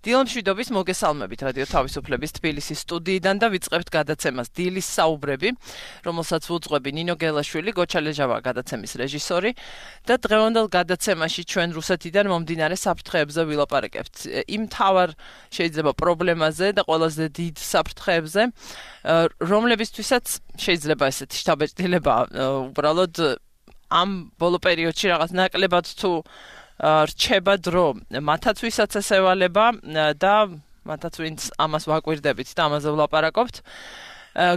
დილა მშვიდობის მოგესალმებით რადიო თავისუფლების თბილისის სტუდიიდან და ვიწყებთ გადაცემას დილის საუბრები, რომელსაც უძღვები ნინო გელაშვილი, გოჩალეჟავა გადაცემის რეჟისორი და დღევანდელ გადაცემაში ჩვენ რუსეთიდან მომდინარე საფრთხეებზე ვილაპარაკებთ. იმ მთავარ შეიძლება პრობლემაზე და ყველაზე დიდ საფრთხეებზე, რომლებისთვისაც შეიძლება ესეთი შთაბეჭდილება უბრალოდ ამ ბოლო პერიოდში რაღაც ნაკლებად თუ რჩება დრო მათაც ვისაც ესევალება და მათაც ვინც ამას ვაკვირდებით და ამაზე ვლაპარაკობთ.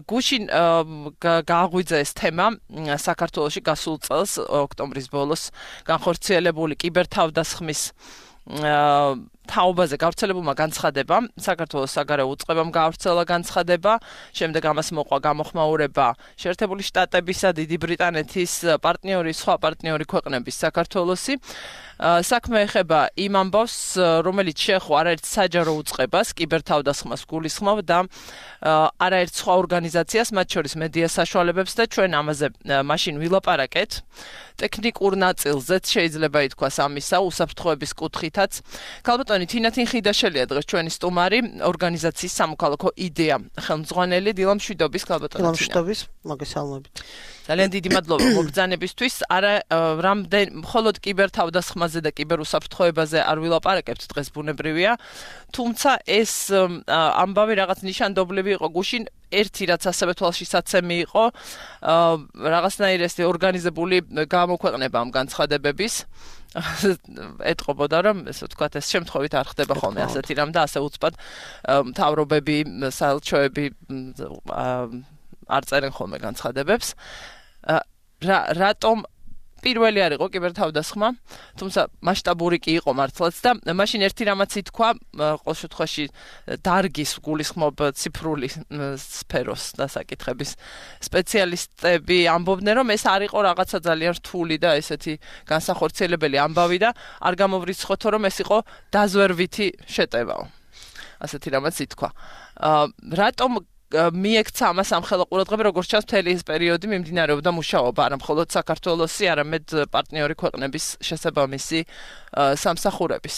გუშინ გააღვიძა ეს თემა საქართველოში გასულ წელს ოქტომბრის ბოლოს განხორციელებული კიბერთავდასხმის თაობაზე გავრცელებულმა განცხადებამ საქართველოს საგარეო უწყებამ გაავრცელა განცხადება, შემდეგ ამას მოყვა გამოხმაურება შეერთებული შტატებისა, დიდი ბრიტანეთის სხვა პარტნიორი ქვეყნების საქართველოსი. საქმე ეხება იმ ამბავს, რომელიც შეეხო არაერთ საჯარო უწყებას, კიბერთავდასხმას გულისხმობ და არაერთ სხვა ორგანიზაციას, მათ შორის მედია საშუალებებს და ჩვენ ამაზე მაშინ ვილაპარაკეთ. ტექნიკურ ნაწილზეც შეიძლება ითქვას ამისა, უსაფრთხოების კუთხითაც. ქალბატონი თინათინ ხიდაშელია დღეს ჩვენი სტუმარი, ორგანიზაციის სამოქალაქო იდეა ხელმძღვანელი. დილა მშვიდობის ქალბატონი. დილა მშვიდობის, მოგესალმებით. ძალიან დიდი მადლობა მოგბრძანებისთვის. მხოლოდ კიბერთავდასხმაზე და კიბერუსაფრთხოებაზე არ ვილაპარაკებთ დღეს ბუნებრივია, თუმცა ეს ამბავი რაღაც ნიშანდობლივი იყო გუშინ. ერთი რაც ასევე თვალშისაცემი იყო, რაღაცნაირ ეს ორგანიზებული გამოქვეყნება ამ განცხადებების. ეტყობოდა რომ ესე ვთქვათ ეს შემთხვევით არ ხდება ხოლმე ასეთი რამ და ასე უცბად მთავრობები, საელჩოები არ წერენ ხოლმე განცხადებებს. რატომ პირველი არ იყო კიბერთავდასხმა, თუმცა მასშტაბური კი იყო მართლაც და მაშინ ერთი რამაც ითქვა, ყოველ შემთხვევაში დარგის გულისხმობ ციფრული სფეროს დასაკითხების სპეციალისტები ამბობდნენ, რომ ეს არ იყო რაღაცა ძალიან რთული და ესეთი განსახორციელებელი ამბავი და არ გამოვრიცხოთო, რომ ეს იყო დაზვერვითი შეტევაო. ასეთი რამაც ითქვა. რატომ მიექცა ამას სამხელო ყურადღება, როგორც ჩანს მთელი ეს პერიოდი მიმდინარეობდა მუშაობა, არა მხოლოდ საქართველოსი, არამედ პარტნიორი ქვეყნების შესაბამისი სამსახურების.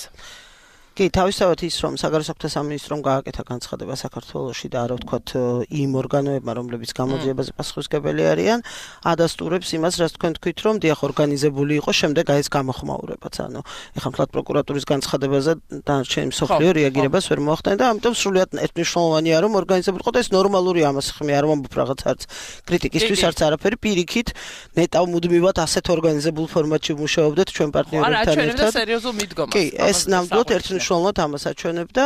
კი, თავისთავად ის რომ საგარეო საქმეთა სამინისტრომ გააკეთა განცხადება საქართველოში და არა ვთქვათ იმ ორგანოებმა, რომლებიც გამოძიებაზე პასუხისმგებელი არიან, ადასტურებს იმას, რაც თქვენ თქვით, რომ დიახ ორგანიზებული იყო, შემდეგ აი ეს გამოხმაურებაც. ანუ ეხლა მთლად პროკურატურის განცხადებაზე დანარჩენი მსოფლიო რეაგირებას ვერ მოახდინა და ამიტომ სრულიად ერთნიშნულოვანია, რომ ორგანიზებული იყო და ეს ნორმალურია ამას ხმე არ ვამბობ რაღაც არც კრიტიკისთვის, არც არაფერი, პირიქით ნეტავ მუდმივად ასეთ ორგანიზებულ ფორმატში მუშაობდეთ ჩვენ პარტნიორებთან ერთად. არა, ჩვენებდა სერიოზულ მიდგომას. კი, ეს ნამდვილად ერთნიშნულოვნად ამას აჩვენებდა.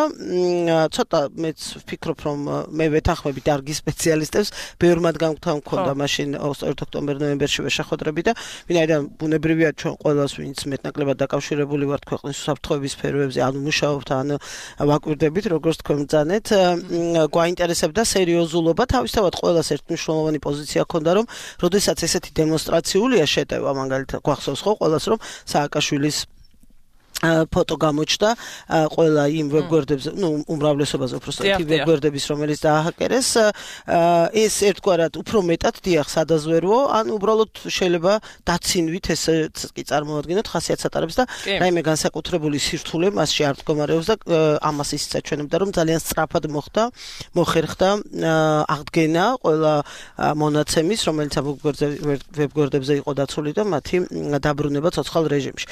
ცოტა მეც ვფიქრობ, რომ მე ვეთანხმები დარგის სპეციალისტებს, ბევრ მათგან გვქონდა მაშინ 2 ოქტომბერ-ნოემბერში შეხვედრები და ვინაიდან ბუნებრივია ჩვენ ყველას ვინც მეტნაკლებად დაკავშირებული ვართ ქვეყნის უსაფრთხოების სფეროებზე, ანუ მუშაობთ, ან ვაკვირდებით, როგორც თქვენ ბრძანეთ, გვაინტერესებდა სერიოზულობა, თავისთავად ყველას ერთმნიშვნელოვანი პოზიცია ჰქონდა, რომ როდესაც ესეთი დემონსტრაციულია შეტევა, მაგალითად გვახსოვს ხო ყველას, რომ სააკაშვილის ფოტო გამოჩნდა ყველა იმ ვებგვერდებზე, უმრავლესობაზე უბრალოდ ვებგვერდების, რომელიც დააჰაკერეს, ეს ერთგვარად უფრო მეტად დიახ სადაზვერვო, ან უბრალოდ შეიძლება დაცინვით ეს კი წარმოადგენთ ხასიათს ატარებს და რაიმე განსაკუთრებული სირთულე მასში არ მდგომარეობს და ამას ისიც აჩვენებდა, რომ ძალიან სწრაფად მოხერხდა აღდგენა ყველა მონაცემის, რომელიც ვებგვერდებზე იყო დაცული და მათი დაბრუნება ცოცხალ რეჟიმში.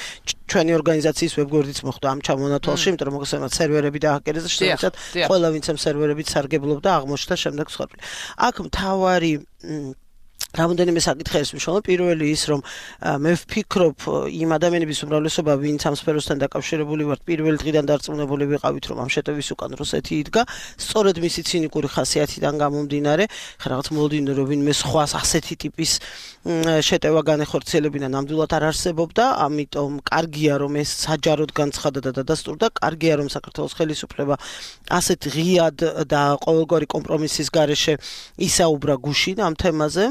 ჩვენი ორგანიზაციის ვებგვერდიც მოხდა ამ ჩამონათვალში, იმიტომ რომ მოგესალმებით სერვერები დააჰაკერეს და შესაძლოა ყველა ვინც ამ სერვერებით სარგებლობდა აღმოჩნდა შემდეგ სხდომილი. აქ მთავარი რამოდენიმე საკითხი არის მნიშვნელოვანი. პირველი ის, რომ მე ვფიქრობ იმ ადამიანების უმრავლესობა, ვინც ამ სფეროსთან დაკავშირებული ვართ, პირველი დღიდან დარწმუნებული ვიყავით, რომ ამ შეტევის უკან რუსეთი იდგა, სწორედ მისი ცინიკური ხასიათიდან გამომდინარე, რაღაც მოლოდინო რომ ვინმე სხვას ასეთი ტიპის შეტევა განეხორციელებინა ნამდვილად არ არსებობდა, ამიტომ კარგია რომ ეს საჯაროდ განცხადა და დადასტურდა, კარგია რომ საქართველოს ხელისუფლება ასეთ ღიად და ყოველგვარი კომპრომისის გარეშე ისაუბრა გუშინ ამ თემაზე.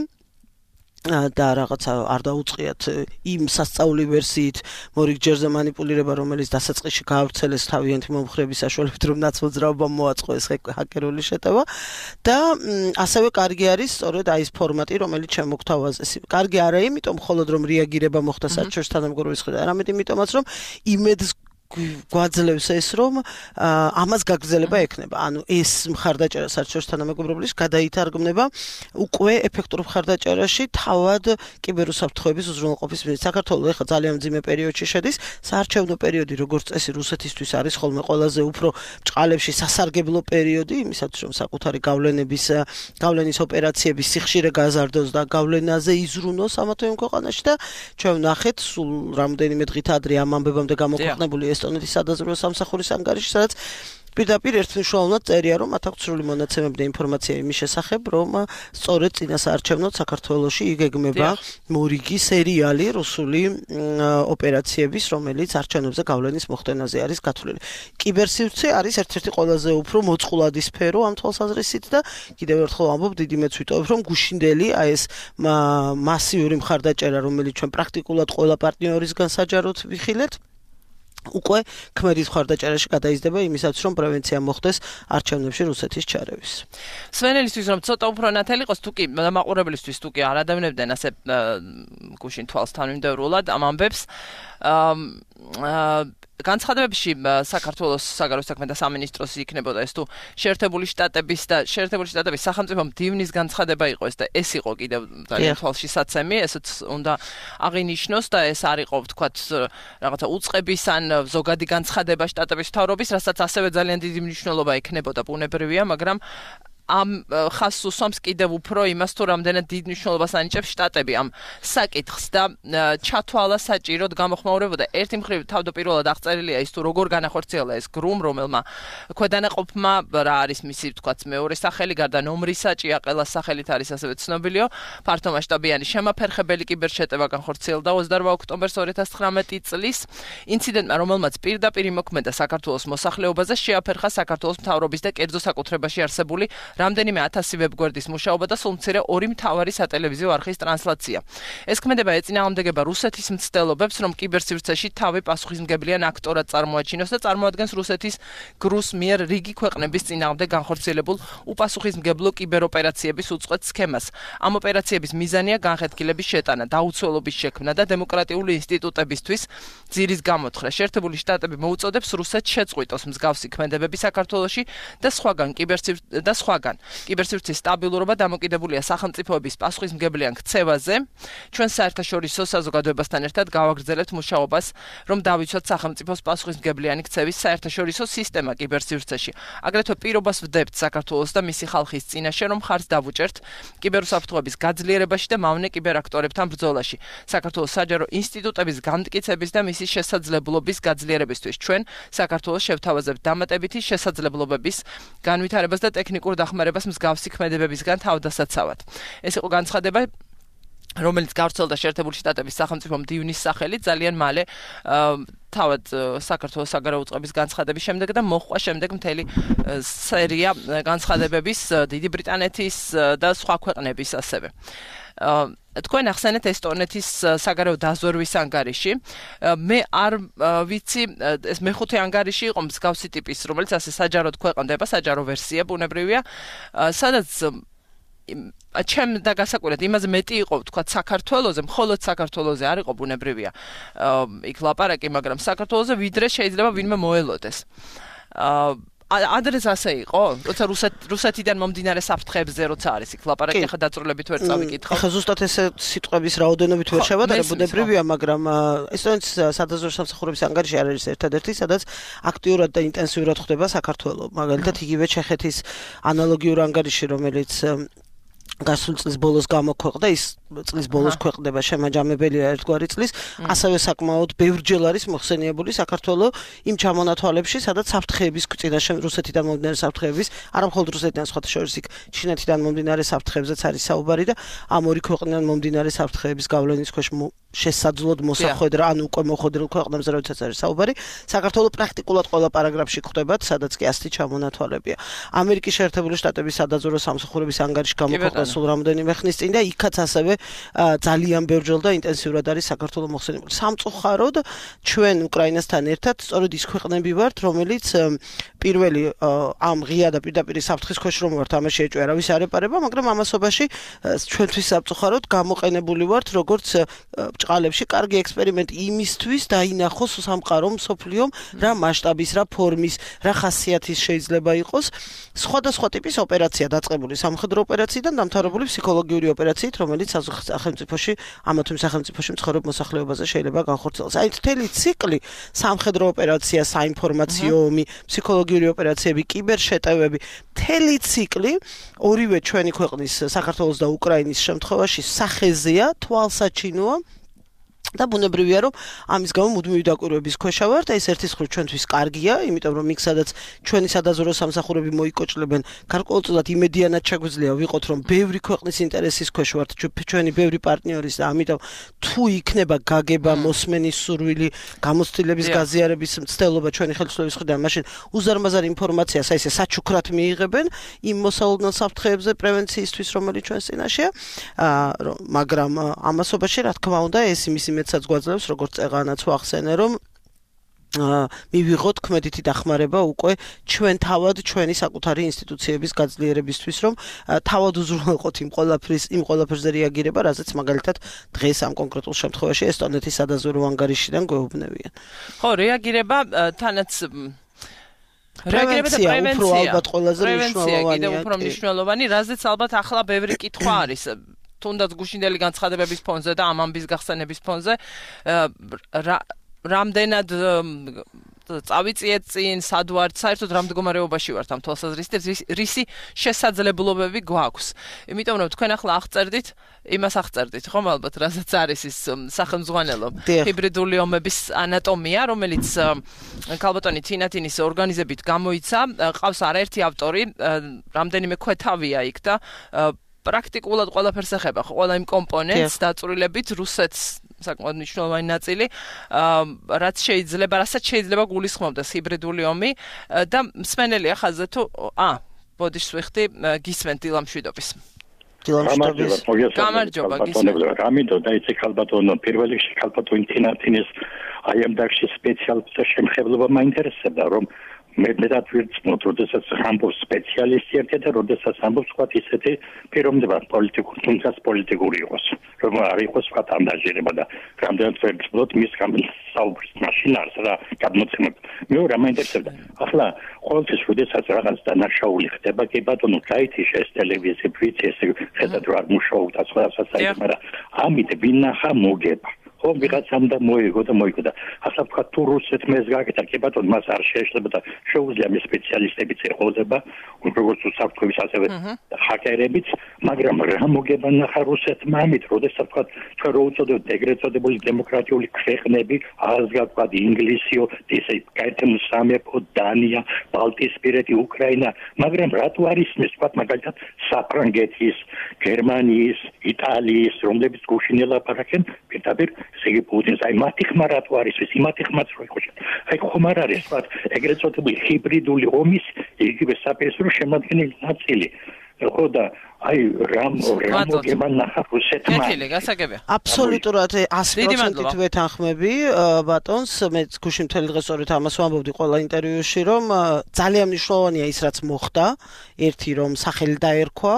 და რაღაცა არ დაუწყიათ იმ სასწაული ვერსიით მორიგჯერზე манипуლირება, რომელიც დასაწყისში გაავრცელეს თავიანთი მომხრების საშუალებით, რომ ნაცმოძრაობამ მოაწყო ეს ჰაკერული შეტევა და ასევე კარგი არის სწორედ აი ეს ფორმატი, რომელიც შემოგთავაზეს. კარგი არა იმიტომ მხოლოდ რომ რეაგირება მოხდა საერთაშორისო თანამგროვების მხრიდან, არამედ იმიტომაც რომ იმედს გვაძლევს ეს რომ ამას გაგრძელება ექნება. ანუ ეს მხარდაჭერა საერთაშორისო თანამეგობრობის გადაითარგმნება უკვე ეფექტურ მხარდაჭერაში თავად კიბერუსაფრთხოების უზრუნველყოფის მიზნით. საქართველოს ახლა ძალიან მძიმე პერიოდში შედის. საარჩევნო პერიოდი როგორც წესი რუსეთისთვის არის ხოლმე ყველაზე უფრო ჭყალებში სასარგებლო პერიოდი, იმისათვის რომ საკუთარი გავლენის ოპერაციების სიხშირე გაზარდოს და გავლენაზე იზრუნოს ამა თუ იმ ქვეყანაში და ჩვენ ვნახეთ სულ რამდენიმე დღით ადრე ამ ამბებამდე გამოქვეყნებული ესტონეთის სადაზვერვო სამსახურის ანგარიში, სადაც პირდაპირ ერთმნიშვნელოვნად წერია, რომ მათ აქვს სრული მონაცემები და ინფორმაცია იმის შესახებ, რომ სწორედ წინასაარჩევნოდ საქართველოში იგეგმება მორიგი სერიალი რუსული ოპერაციების, რომელიც არჩევნებზე გავლენის მოხდენაზე არის გათვლილი. კიბერსივრცე არის ერთ-ერთი ყველაზე უფრო მოწყვლადი სფერო ამ თვალსაზრისით და კიდევ ერთხელ ვამბობ, დიდი მეც ვიტოვებ, რომ გუშინდელი აი ეს მასიური მხარდაჭერა, რომელიც ჩვენ პრაქტიკულად ყველა პარტნიორისგან საჯაროდ ვიხილეთ, უკვე ქმედის მხარდაჭერაში გადაიზრდება იმისაც, რომ პრევენცია მოხდეს არჩევნებში რუსეთის ჩარევის. სვენელისთვის რომ ცოტა უფრო ნათელი იყოს, თუკი მაყურებლისთვის თუკი არ ადევნებდნენ ასე გუშინ თვალს თანმიმდევრულად ამ ამბებს, განცხადებებში საქართველოს საგარეო საქმეთა სამინისტროს იქნებოდა ეს თუ შეერთებული შტატების სახელმწიფო მდივნის განცხადება იყო ეს და ეს იყო კიდევ ძალიან თვალშისაცემი, ესეც უნდა აღინიშნოს და ეს არ იყო ვთქვათ რაღაცა უწყების ან ზოგადი განცხადება შტატების მთავრობის, რასაც ასევე ძალიან დიდი მნიშვნელობა ექნებოდა ბუნებრივია, მაგრამ ამ ხაზს უსვამს კიდევ უფრო იმას თუ რამდენად დიდ მნიშვნელობას ანიჭებს შტატები ამ საკითხს და ჩათვალა საჭიროდ გამოხმაურებოდა. ერთი მხრივ თავდაპირველად აღწერილია ის თუ როგორ განახორციელა ეს გრუმ, რომელმა ქვედანაყოფმა რა არის მისი ვთქვათ მეორე სახელი, გარდა ნომრისა, ჭიაყელას სახელით არის ასევე ცნობილიო, ფართომასშტაბიანი შემაფერხებელი კიბერშეტევა განხორციელდა 28 ოქტომბერს 2019 წლის. ინციდენტმა, რომელმაც პირდაპირ იმოქმედა საქართველოს მოსახლეობაზე, შეაფერხა საქართველოს მთავრობის და კერძო საკუთრებაში არსებული რამდენიმე 1000 ვებგვერდის მუშაობა და სულ მცირე 2 მთავარი სატელევიზიო არხის ტრანსლაცია. ეს ქმედება ეწინააღმდეგება რუსეთის მცდელობებს, რომ კიბერსივრცეში თავი პასუხისმგებლიან აქტორად წარმოაჩინოს და წარმოადგენს რუსეთის გრუს მიერ რიგი ქვეყნების წინააღმდეგ განხორციელებულ უპასუხისმგებლო კიბეროპერაციების უწყვეტ სქემას. ამ ოპერაციების მიზანია განხეთქილების შეტანა, დაუცველობის შექმნა და დემოკრატიული ინსტიტუტებისთვის ძირის გამოთხრა. შეერთებული შტატები მოუწოდებს რუსეთს შეწყვიტოს მსგავსი ქმედებები საქართველოში და სხვაგან კიბერსივრცის სტაბილურობა დამოკიდებულია სახელმწიფოების პასუხისმგებლიან ქცევაზე. ჩვენ საერთაშორისო საზოგადოებასთან ერთად გავაგრძელებთ მუშაობას, რომ დავიცვათ სახელმწიფოს პასუხისმგებლიანი ქცევის საერთაშორისო სისტემა კიბერსივრცეში. აგრეთვე პირობას ვდებთ საქართველოს და მისი ხალხის წინაშე, რომ ხარს დავუჭერთ კიბერუსაფრთხოების გაძლიერებაში და მავნე კიბერაქტორებთან ბრძოლაში. საქართველოს საჯარო ინსტიტუტების განმტკიცების და მისი შესაძლებლობის გაძლიერებისთვის ჩვენ საქართველოს შევთავაზებთ დამატებითი შესაძლებლობების განვითარებას და ტექნიკურ დახმარებას მსგავსი ქმედებებისგან თავდასაცავად. ეს იყო განცხადება, რომელიც გავრცელდა შეერთებული შტატების სახელმწიფო მდივნის სახელით ძალიან მალე თავად საქართველოს საგარეო უწყების განცხადების შემდეგ და მოჰყვა შემდეგ მთელი სერია განცხადებების დიდი ბრიტანეთის და სხვა ქვეყნების ასევე. თქვენ ახსენეთ ესტონეთის საგარეო დაზვერვის ანგარიში. მე არ ვიცი, ეს მეხუთე ანგარიში იყო მსგავსი ტიპის, რომელიც ასე საჯაროდ ქვეყნდება, საჯარო ვერსია ბუნებრივია, სადაც ჩემ და გასაკვირად იმაზე მეტი იყო ვთქვათ საქართველოზე, მხოლოდ საქართველოზე არ იყო ბუნებრივია იქ ლაპარაკი, მაგრამ საქართველოზე ვიდრე შეიძლება ვინმე მოელოდეს. ადრეს ასე იყო? როცა რუსეთიდან მომდინარე საფრთხეებზე როცა არის იქ ლაპარაკი, ახლა დაწვრილებით ვერ წავიკითხავ. ახლა ზუსტად ეს სიტყვების რაოდენობით ვერ შევადარებ, ბუნებრივია, მაგრამ ესტონეთის სადაზვერვო სამსახურების ანგარიში არის ერთადერთი, სადაც აქტიურად და ინტენსიურად ხდება საქართველოს. მაგალითად, იგივე ჩეხეთის ანალოგიურ ანგარიში, რომელიც გასულ წლის ბოლოს გამოქვეყნდა, ის წლის ბოლოს ქვეყნდება შემაჯამებელია ერთგვარი წლის, ასევე საკმაოდ ბევრჯერ არის მოხსენიებული საქართველოს იმ ჩამონათვალებში, სადაც საფრთხეების წინაშე რუსეთიდან მომდინარე საფრთხეების, არა მხოლოდ რუსეთიდან, სხვათა შორის იქ ჩინეთიდან მომდინარე საფრთხეებზეც არის საუბარი და ამ ორი ქვეყნიდან მომდინარე საფრთხეების გავლენის ქვეშ შესაძლოდ მოსახვედრა, ან უკვე მოხვედრილ ქვეყნებზე როდესაც არის საუბარი, საქართველოს პრაქტიკულად ყველა პარაგრაფში გვხვდება, სადაც კი ასეთი ჩამონათვალებია. ამერიკის შეერთებული შტატების სადაზვერვო სამსახურების ანგარიში გამოქვეყნდა გასულ რამოდენიმე ხნის წინ და იქაც ასევე ძალიან ბევრჯერ და ინტენსიურად არის საქართველოს მოხსენებული. სამწუხაროდ ჩვენ უკრაინასთან ერთად სწორედ ის ქვეყნები ვართ, რომელიც პირველი ამ ღია და პირდაპირ საფრთხის ქვეშ რომ ვართ, ამაში ეჭვი არავის არ ეპარება, მაგრამ ამასობაში ჩვენთვის სამწუხაროდ გამოყენებული ვართ როგორც ბჭყალებში კარგი ექსპერიმენტი იმისთვის დაინახოს სამყარომ, მსოფლიომ რა მასშტაბის, რა ფორმის, რა ხასიათის შეიძლება იყოს სხვადასხვა ტიპის ოპერაცია დაწყებული სამხედრო ოპერაციიდან დამთავრებული ფსიქოლოგიური ოპერაციით, რომელიც სახელმწიფოში ამა თუ იმ სახელმწიფოში მცხოვრებ მოსახლეობაზე შეიძლება განხორციელდეს. აი მთელი ციკლი სამხედრო ოპერაცია, საინფორმაციო ომი, ფსიქოლოგიური ოპერაციები, კიბერშეტევები, მთელი ციკლი ორივე ჩვენი ქვეყნის საქართველოს და უკრაინის შემთხვევაში სახეზეა, თვალსაჩინოა და ბუნებრივია რომ ამის გამო მუდმივი დაკვირვების ქვეშ ვართ და ეს ერთის მხრივ ჩვენთვის კარგია, იმიტომ რომ იქ სადაც ჩვენი სადაზვერო სამსახურები მოიკოჭლებენ, გარკვეულწილად იმედიანად შეგვიძლია ვიყოთ რომ ბევრი ქვეყნის ინტერესის ქვეშ ვართ, ჩვენი ბევრი პარტნიორის და ამიტომ თუ იქნება გაგება, მოსმენის სურვილი, გამოცდილების გაზიარების მცდელობა ჩვენი ხელისუფლების მხრიდან, მაშინ უზარმაზარ ინფორმაციას აი ესე საჩუქრად მიიღებენ იმ მოსალოდნელ საფრთხეებზე პრევენციისთვის, რომელიც ჩვენს წინაშეა, მაგრამ ამასობაში რა თქმა უნდა ეს იმის მეცაც გვაძლევს, როგორც წეღანაც ვახსენე, რომ მივიღოთ ქმედითი დახმარება უკვე ჩვენ თავად ჩვენი საკუთარი ინსტიტუციების გაძლიერებისთვის, რომ თავად უზრუნველყოთ იმ ყველაფერზე რეაგირება, რაზეც მაგალითად დღეს ამ კონკრეტულ შემთხვევაში ესტონეთის სადაზვერო ანგარიშიდან გვეუბნებიან. ხო, რეაგირება თანაც პრევენცია უფრო ალბათ ყველაზე მნიშვნელოვანია. კიდევ უფრო მნიშვნელოვანი, რაზეც ალბათ ახლა ბევრი კითხვა არის. თუნდაც გუშინდელი განცხადებების ფონზე და ამ ამბის გახსენების ფონზე რამდენად წავიწიეთ წინ, სად ვართ, საერთოდ რა მდგომარეობაში ვართ ამ თვალსაზრისით, რისი შესაძლებლობები გვაქვს. იმიტომ რომ თქვენ ახლა აღწერდით, იმას აღწერდით, ხომ ალბათ, რასაც არის ის სახელმძღვანელო ჰიბრიდული ომების ანატომია, რომელიც ქალბატონი თინათინის ორგანიზებით გამოიცა, ყავს არაერთი ავტორი, რამდენიმე ქვეთავია იქ და პრაქტიკულად ყველაფერს ეხება, ყველა იმ კომპონენტს დაწვრილებით რუსეთს საკმაოდ მნიშვნელოვანი ნაწილი, რასაც შეიძლება გულისხმობდეს ჰიბრიდული ომი და მსმენელია ხაზზე თუ ბოდიშს ვიხდი გისმენთ დილამშვიდობის. გამარჯობა გისმენთ. ამიტომ დაიცე ქალბატონო, პირველ რიგში ქალბატონი თინათინის აი ამ დარგში სპეციალისტ შემხებლობა მაინტერესებდა, რომ მე დათვირწმოთ, როდესაც ამბობს სპეციალისტი ერთი და როდესაც ამბობს სხვა ისეთი პიროვნება პოლიტიკური, თუმცა პოლიტიკური იყოს, რომ არ იყოს სხვა ამდაჟერება და რამდენად ვერცლოთ მის გამოსაუბრის მაშინ არის რა გადმოცემები. მეორე მაინტერესებდა. ახლა ყოველთვის როდესაც რაღაც დანაშაული ხდება, კი ბატონო, გაითიშა ეს ტელევიზია, ვიცი ეს ხედავთ რა მუშაობდა სხვადასხვა საერთოდ, მაგრამ ამით ვინახა მოგება. ხო, ვიღაცამ და მოიგო და ახლა თქვა თუ რუსეთმა ეს გააკეთა, კი ბატონო, მას არ შეეშლება და შეუძლია მე სპეციალისტებიც ეყოდება, როგორც უსაფრთხოების ასევე ჰაკერებიც, მაგრამ რა მოგება ნახა რუსეთმა ამით, როდესაც თქვა ჩვენ რო უწოდებთ ეგრეთ წოდებული დემოკრატიული ქვეყნები, აღსგავსად თქვა ინგლისიო, ესე გაერთიანებული სამეფო, დანია, ბალტიისპირეთი, უკრაინა, მაგრამ რატო არის ეს თქვა მაგალითად საფრანგეთის, გერმანიის, იტალიის, რომლებიც გუშინ ელაპარაკენ პირდაპირ სიგი პუტინს, აი მათი ხმა რატო არის ეს, იმათი ხმაც რო იყო. აი ხომ არ არის თქვა ეგრეთ წოდებული ჰიბრიდული ომის იგივე საპირისპირო შემადგენელი ნაწილი. ხო და აი რამ მოგება ნახა რუსეთმა. გასაგებია. აბსოლუტურად 100%-ით ვეთანხმები ბატონს, მე გუშინ მთელი დღე სწორედ ამას ვამბობდი ყველა ინტერვიუში, რომ ძალიან მნიშვნელოვანია ის რაც მოხდა, ერთი რომ სახელი დაერქვა,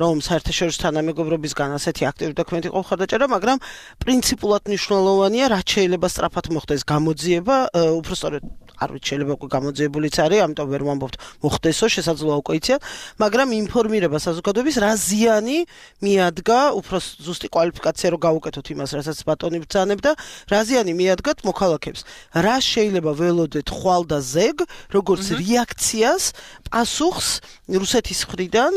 რომ საერთაშორისო თანამეგობრობისგან ასეთი აქტიური დოკუმენტი იყო მხარდაჭერა, მაგრამ პრინციპულად მნიშვნელოვანია, რაც შეიძლება სწრაფად მოხდეს გამოძიება, უფრო სწორედ არ ვიცი შეიძლება უკვე გამოძიებულიც არის, ამიტომ ვერ ვამბობთ მოხდესო, შესაძლოა უკვე იციან, მაგრამ ინფორმირება საზოგადოების რა ზიანი მიადგა, უფრო ზუსტი კვალიფიკაცია რო გავუკეთოთ იმას, რასაც ბატონი ბრძანებდა, რა ზიანი მიადგათ მოქალაქეებს. რა შეიძლება ველოდეთ ხვალ და ზეგ, როგორც რეაქციას, პასუხს რუსეთის მხრიდან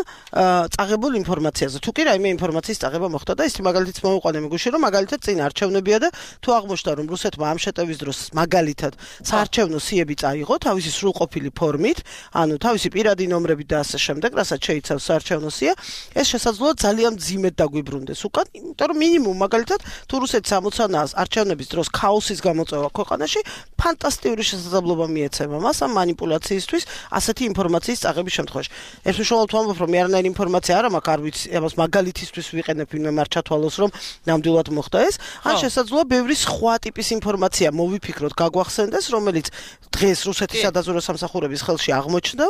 წაღებულ ინფორმაციაზე. თუ კი რაიმე ინფორმაციის წაღება მოხდა და ის მაგალითიც მოვიყვანე მეგუში, რომ მაგალითად წინ არჩევნებია და თუ აღმოჩნდა რომ რუსეთმა ამ შეტევის დროს მაგალითად საარჩევნო სიები წაიღო თავისი სრულყოფილი ფორმით, ანუ თავისი პირადი ნომრებით და ასე შემდეგ, რასაც შეიცავს საარჩევნო სია, ეს შესაძლოა ძალიან მძიმედ დაგვიბრუნდეს უკან, იმიტომ რომ მინიმუმ მაგალითად თუ რუსეთს ამოცანაა არჩევნების დროს ქაოსის გამოწვევა ქვეყანაში, ფანტასტიკური შესაძლებლობა მიეცემა მას ამ მანიპულაციისთვის, ასეთი ინფორმაცია ინფორმაციის წაღების შემთხვევაში. ეს უშუალოდ ვამბობ, რომ არანაირი ინფორმაცია არ მაქვს, არ ვიცი, ამას მაგალითისთვის ვიყენებ, ვინმე არ ჩათვალოს, რომ ნამდვილად მოხდა ეს. ან შესაძლოა ბევრი სხვა ტიპის ინფორმაცია მოვიფიქროთ, გაგვახსენდეს, რომელიც დღეს რუსეთის სადაზვერვო სამსახურების ხელში აღმოჩნდა.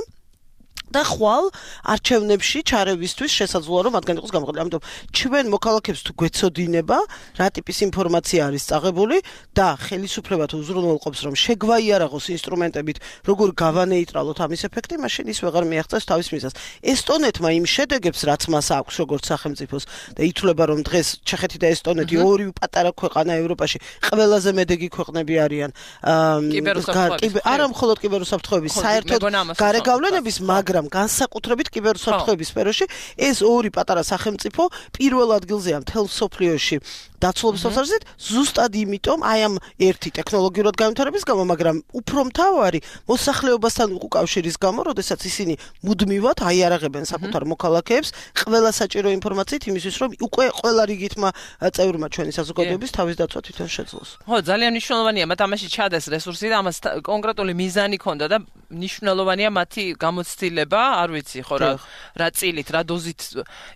და ხვალ არჩევნებში ჩარევისთვის შესაძლოა რომ მათგან იყოს გამოყენებული. ამიტომ ჩვენ მოქალაქეებს თუ გვეცოდინება რა ტიპის ინფორმაცია არის წაღებული და ხელისუფლება თუ უზრუნველყოფს რომ შეგვაიარაღოს ინსტრუმენტებით როგორ გავანეიტრალოთ ამის ეფექტი, მაშინ ის ვეღარ მიაღწევს თავის მიზანს. ესტონეთმა იმ შედეგებს რაც მას აქვს როგორც სახელმწიფოს და ითვლება რომ დღეს ჩეხეთი და ესტონეთი ორივე პატარა ქვეყანა ევროპაში ყველაზე მედეგი ქვეყნები არიან არა მხოლოდ კიბერუსაფრთხოების საერთოდ გარეგავლენების მაგრამ განსაკუთრებით კიბერუსაფრთხოების სფეროში ეს ორი პატარა სახელმწიფო პირველ ადგილზეა მთელ მსოფლიოში დაცულობის თვალსაზრისით ზუსტად იმიტომ აი ამ ერთი ტექნოლოგიურად განვითარების გამო, მაგრამ უფრო მთავარი მოსახლეობასთან უკავშირის გამო, როდესაც ისინი მუდმივად აიარაღებენ საკუთარ მოქალაქეებს ყველა საჭირო ინფორმაციით იმისთვის, რომ უკვე ყველა რიგითმა წევრმა ჩვენი საზოგადოების თავის დაცვა თვითონ შეძლოს. ხო, ძალიან მნიშვნელოვანია მათ ამაში ჩადეს რესურსი და ამას კონკრეტული მიზანი ქონდა და მნიშვნელოვანია მათი გამოცდილება, არ ვიცი ხო რა წილით, რა დოზით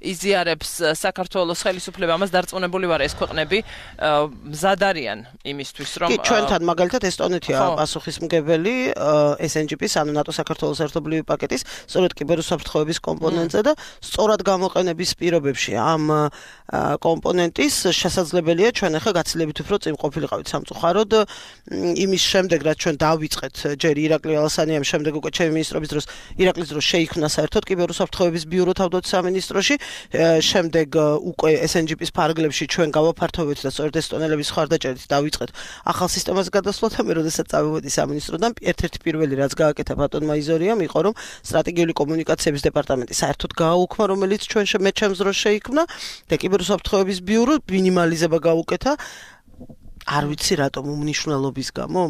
იზიარებს საქართველოს ხელისუფლება, ამას დარწმუნებული ვარ ეს ქვეყნები მზად არიან იმისთვის რომ ჩვენთან მაგალითად ესტონეთია პასუხისმგებელი SNGP-ის ანუ ნატო საქართველოს ერთობლივი პაკეტის სწორედ კიბერუსაფრთხოების კომპონენტზე და სწორად გამოყენების პირობებში ამ კომპონენტის შესაძლებელია ჩვენ ახლა გაცილებით უფრო წინ ყოფილიყავით სამწუხაროდ იმის შემდეგ რაც ჩვენ დავიწყეთ ჯერ ირაკლი ალასანიამ შემდეგ უკვე ჩემი მინისტრობის დროს ირაკლის დროს შეიქმნა საერთოდ კიბერუსაფრთხოების ბიურო თავდაცვის სამინისტროში შემდეგ უკვე SNGP-ის ფარგლებში ჩვენ გავაფართოვეთ და სწორედ ესტონელების ხარდაჭერით დავიწყეთ ახალ სისტემას გადასვლა და მე როდესაც წავედი სამინისტროდან ერთ-ერთი პირველი რაც გააკეთა ბატონმა იზორიამ იყო რომ სტრატეგიული კომუნიკაციების დეპარტამენტი საერთოდ გააუქმა რომელიც ჩვენ მე ჩემს დროს შეიქმნა და კიბერუსაფრთხოების ბიურო მინიმალიზება გაუკეთა არ ვიცი რატომ უმნიშვნელობის გამო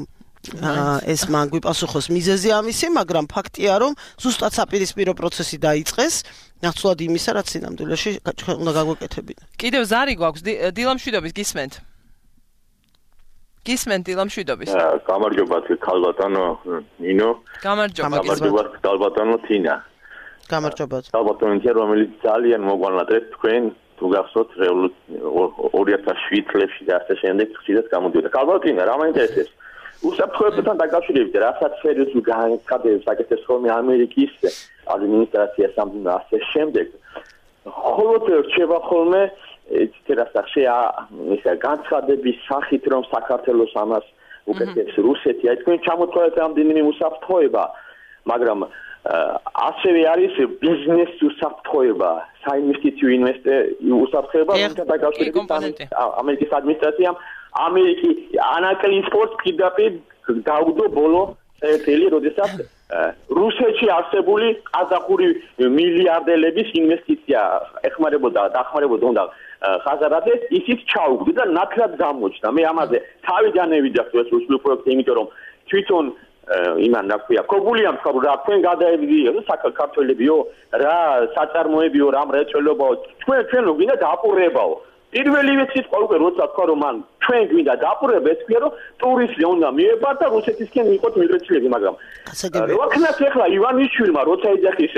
ეს მან გვიპასუხოს მიზეზი ამისი, მაგრამ ფაქტია რომ ზუსტად საპირისპირო პროცესი დაიწყეს, ნაცვლად იმისა, რაც სინამდვილეში უნდა გაგვეკეთებინა. კიდევ ზარი გვაქვს დილამშვიდობის გისმენთ. გისმენთ დილამშვიდობის. გამარჯობა ქალბატონო ნინო. გამარჯობა ქალბატონო თინა. გამარჯობა. ქალბატონო თინა რომელიც ძალიან მოგვანატრეთ თქვენ თუ გახსოვთ 2007 წლებში და ასე შემდეგ ხშირად გამოდიოდა. ქალბატონო რა მაინტერესებს? უსაფრთხოებასთან დაკავშირებით რასაც სერიოზულ განცხადებს აკეთებს ხოლმე ამერიკის ადმინისტრაცია სამდინო ასე შემდეგ ხოლოდ რჩება ხოლმე ისე განცხადების სახით რომ საქართველოს ამას უკეთებს რუსეთი აი თქვენ ჩამოთვალეთ ამდენი უსაფრთხოება მაგრამ ასევე არის ბიზნეს უსაფრთხოება საინვესტიციო უსაფრთხოება რომელთან დაკავშირებით ამერიკის ადმინისტრაციამ ამერიკის ანაკლიის სპორტს კიდევ დაუდო ბოლო წელი, როდესაც რუსეთში არსებული ყაზახური მილიარდელების ინვესტიცია დახმარებოდა უნდა ხაზარადეს, ისიც ჩაუგდო და ნათლად გამოჩნდა. მე ამაზე თავიდანვე ვიდეო რუსული პროექტი, იმიტომ რომ თვითონ იმან რა ქვია, კობულიამ თქვა რა თქვენ გადაებდიო საქართველებიო, რა საწარმოებიო, რა მრეწველობაო, ჩვენ გვინდა დაყურებაო. პირველივე სიტყვა უკვე როცა თქვა რომ მან ჩვენ გვინდა დაყურება ეს ქვია რომ ტურისტი უნდა მიებარ და რუსეთისკენ ვიყოთ მიგრაციაში მაგრამ როქნას ეხლა ივანიშვილმა როცა ეძახის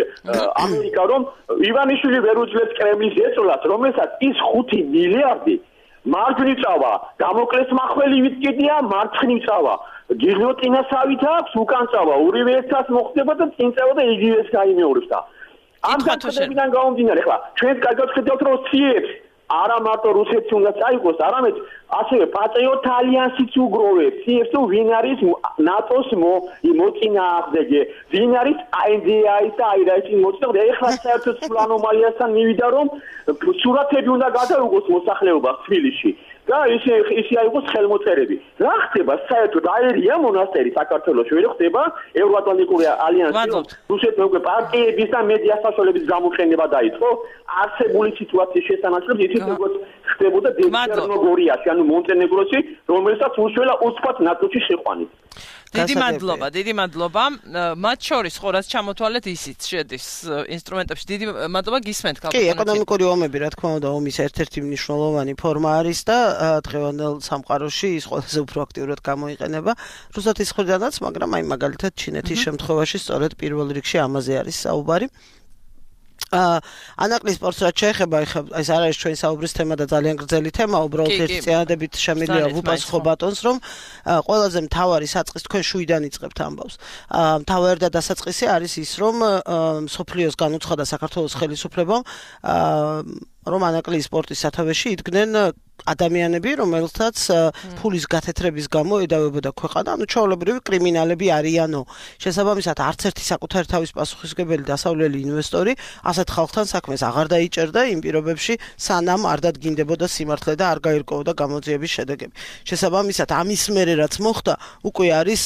ამერიკა რომ ივანიშვილი ვერ უძლებს კრემლის ეწოლას რომელსაც ის 5 მილიარდი მარჯვნივ წავა დამოკლეს მახველივით კიდია მარცხნივ წავა გილოტინასავით აქვს უკან წავა ორივე ერთად მოხდება და წინ წავა და იგივეს გაიმეორებს და ამ განცხადებიდან გამომდინარე ეხლა ჩვენ კარგად ხედავთ რომ ციებს არა მარტო რუსეთს უნდა წაიღოს, არამედ ასევე პატრიოტ ალიანსიც უგროვებს. ის თუ ვინ არის ნატოს მოწინააღმდეგე, ვინ არის INDI-ის და IRA-ის მოწინააღმდეგე. ეხლა საერთოდ სულ ანომალიასთან მივიდა რომ სურათები უნდა გადაუგოს მოსახლეობას თბილისში. და ისე აიღოს ხელმოწერები. რა ხდება საერთოდ აერია მონასტერი საქართველოს ვერ ხდება ევროატლანტიკური ალიანსი რუსეთის უკვე პარტიების და მედია საშუალებების გამოყენება დაიწყო არსებული სიტუაციის შესანაცვლებლად ისიც როგორც ხდებოდა ჩერნოგორიაში, ანუ მონტენეგროში, რომელსაც უშველა ოცფად ნატოში შეყვანით. დიდი მადლობა. მათ შორის ხო რაც ჩამოთვალეთ ისიც შედის ინსტრუმენტებში. დიდი მადლობა გისმენთ კალპიტონი. კი, ეკონომიკური ომები, რა თქმა უნდა, ომის ერთ-ერთი მნიშვნელოვანი ფორმა არის და დღევანდელ სამყაროში ის ყველაზე უფრო აქტიურად გამოიყენება რუსეთის მხრიდანაც, მაგრამ აი მაგალითად ჩინეთის შემთხვევაში სწორედ პირველ რიგში ამაზე არის საუბარი. ანაკლი სპორტს რაც შეეხება, ეს არ არის ჩვენი საუბრის თემა და ძალიან გრძელი თემა, უბრალოდ ერთი წინადებით შემიძლია ვუპასუხო ბატონს, რომ ყველაზე მთავარი საწყისი თქვენ შუიდან იწყებთ ამბავს. მთავარი და დასაწყისი არის ის, რომ სოფლიოს განუცხადა საქართველოს ხელისუფლებამ, რომ ანაკლი სპორტის სათავეში იდგნენ ადამიანები, რომელთაც ფულის გათეთრების გამო ედავებოდა ქვეყანა, ანუ ჩვეულებრივი კრიმინალები არიანო. შესაბამისად, არც ერთი საკუთარი თავის პასუხისმგებელი დასავლელი ინვესტორი ასეთ ხალხთან საქმეს აღარ დაიჭერდა იმ პირობებში, სანამ არ დადგინდებოდა სიმართლე და არ გაირკვეოდა გამოძიების შედეგები. შესაბამისად, ამის მერე რაც მოხდა, უკვე არის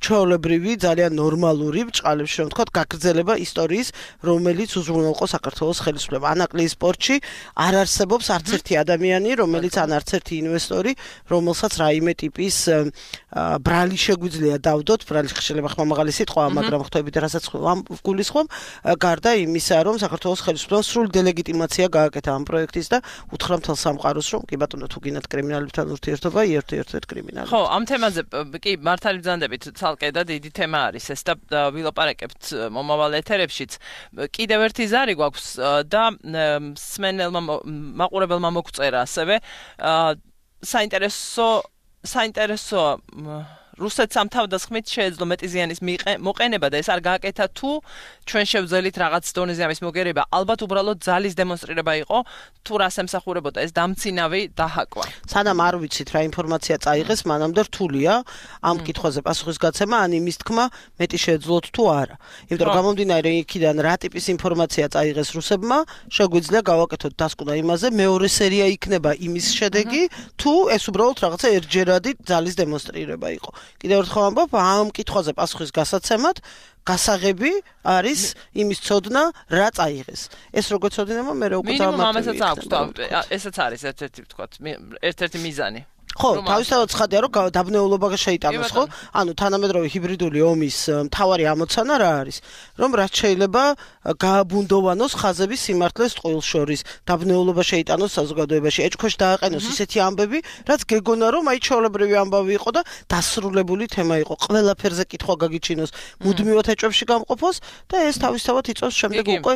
ჩვეულებრივი, ძალიან ნორმალური ბჭყალებში, რომ ვთქვათ, გაგრძელება ისტორიის, რომელიც უზრუნველყო საქართველოს ხელისუფლება. ანაკლის სპორტში არ არსებობს არც ერთი ადამიანი, რომელიც ან არც ერთი ინვესტორი, რომელსაც რაიმე ტიპის ბრალი შეგვიძლია დავდოთ, ბრალი შეიძლება ხმამაღალი სიტყვაა, მაგრამ ხვდებით რასაც გულისხმობ, გარდა იმისა, რომ საქართველოს ხელისუფლებამ სრული დილეგიტიმაცია გააკეთა ამ პროექტის და უთხრა მთელ სამყაროს, რომ კი ბატონო, თუ გინდათ კრიმინალებთან ურთიერთობა, ერთ კრიმინალებს. ხო, ამ თემაზე კი მართალი ბრძანდებით, ცალკე და დიდი თემა არის ეს და ვილაპარაკებთ მომავალ ეთერებშიც. კიდევ ერთი ზარი გვაქვს და სმენელმა მაყურებელმა მოგწერა ასევე საინტერესო რუსეთს ამ თავდასხმით შეეძლო მეტი ზიანის მოყენება და ეს არ გააკეთა თუ ჩვენ შევძელით რაღაც დონეზე ამის მოგერება, ალბათ უბრალოდ ძალის დემონსტრირება იყო, თუ რას ემსახურებოდა ეს დამცინავი დაჰაკვა. სანამ არ ვიცით რა ინფორმაცია წაიღეს, მანამდე რთულია ამ კითხვაზე პასუხის გაცემა, ან იმის თქმა მეტი შეეძლოთ თუ არა. იმიტომ რომ გამომდინარე იქიდან რა ტიპის ინფორმაცია წაიღეს რუსებმა, შეგვიძლია გავაკეთოთ დასკვნა იმაზე, მეორე სერია იქნება იმის შედეგი, თუ ეს უბრალოდ რაღაცა ერთჯერადი ძალის დემონსტრირება იყო. კიდევ ერთხელ ამბობ, ამ კითხვაზე პასუხის გასაცემად გასაღები არის იმის ცოდნა, რა წაიღეს. ეს როგორ ცოდინება, მე უკვე დავამატებ. მინიმუმ ამასაც აქვს და ესაც არის ერთ-ერთი ვთქვათ, ერთ-ერთი მიზანი. ხო, თავისთავად ცხადია, რომ დაბნეულობა შეიტანოს, ხო? ანუ თანამედროვე ჰიბრიდული ომის მთავარი ამოცანა რა არის? რომ რაც შეიძლება გააბუნდოვანოს ხაზები სიმართლეს ტყუილს შორის, დაბნეულობა შეიტანოს საზოგადოებაში, ეჭქვეშ დააყენოს ისეთი ამბები, რაც გეგონა რომ აი ჩვეულებრივი ამბავი იყო და დასრულებული თემა იყო. ყველაფერზე კითხვა გაგიჩინოს, მუდმივად ეჭვებში გამყოფოს და ეს თავისთავად იწვევს შემდეგ უკვე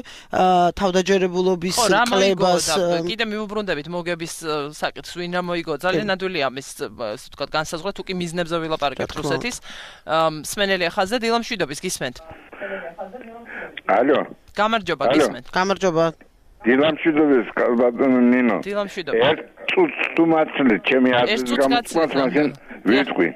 თავდაჯერებულობის კლებას. კიდე მიუბრუნდებით მოგების საკითხს, ვინ რა მოიგო, ძალიან ნადვილია ამის ვთქვათ განსაზღვრა, თუ კი მიზნებზე ვილაპარაკებთ რუსეთის. სმენელი ხაზზე დილა მშვიდობის გისმენთ. ალო. გამარჯობა გისმენთ. გამარჯობა. დილა მშვიდობის ბატონო ნინო. დილა მშვიდობა. ერთ წუთს თუ მაცლე ჩემი აზრის გამოცმას მაშინ ვიტყვი.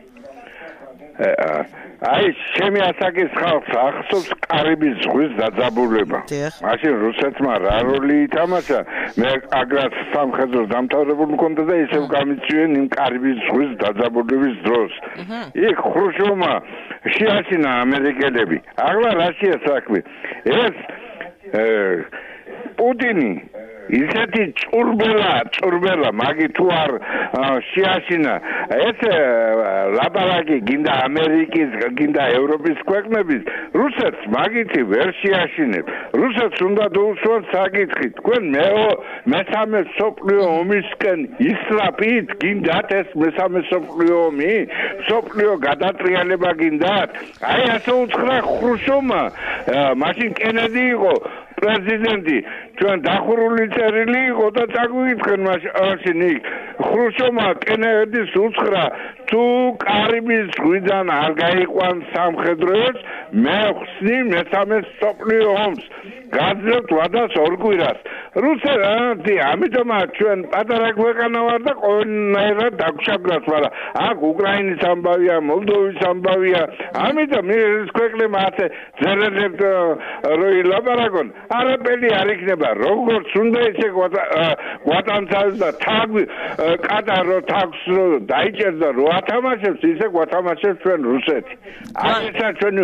აი ჩემი ასაკის ხალხს ახსოვს კარიბის ზღვის დაძაბულება. მაშინ რუსეთმა რა როლი ითამაშა? მე აგრად სამხედრო დამთავრებული მქონდა და ისევ გამიწვიენ იმ კარიბის ზღვის დაძაბულების დროს. იქ ხრუშოვმა შეაშინა ამერიკელები. ახლა რაშია საქმე? ეს პუტინი ისეთი ჭურბელა მაგი თუ არ შეაშინა ეს ლაპარაკი გინდა ამერიკის გინდა ევროპის ქვეყნების რუსეთს მაგითი ვერ შეაშინებს რუსეთს უნდა დაუსვან საკითხი თქვენ მესამე სოფლიო ომისკენ ისრაფით გინდათ ეს მესამე სოფლიო ომი სოფლიო გადატრიალება გინდათ აი ასე უთხრა ხრუშოვმა მაშინ კენედი იყო პრეზიდენტი ჩვენ დახურული წერილი იყო და წაგვიკითხენ მაშინ იქ ხრუშოვმა კენედის უთხრა თუ კარიბის ზღვიდან არ გაიყვან სამხედროებს მე ხსნი მესამე სოფლიო ომს გაძლევთ ვადას ორ კვირას რუსეთი ამიტომ ჩვენ პატარა ქვეყანა ვარ და ყოველნაირად დაგვშაგრათ მაგრამ აქ უკრაინის ამბავია მოლდოვის ამბავია ამიტომ ეს ქვეყნები ასე ზერერებთ როი ლაპარაკონ არაფერი არ იქნება როგორც უნდა ისე გვატანცავს და თაგ კატარო თაგს დაიჭერდა რო ათამაშებს ისე გვათამაშებს ჩვენ რუსეთი ამისა ჩვენ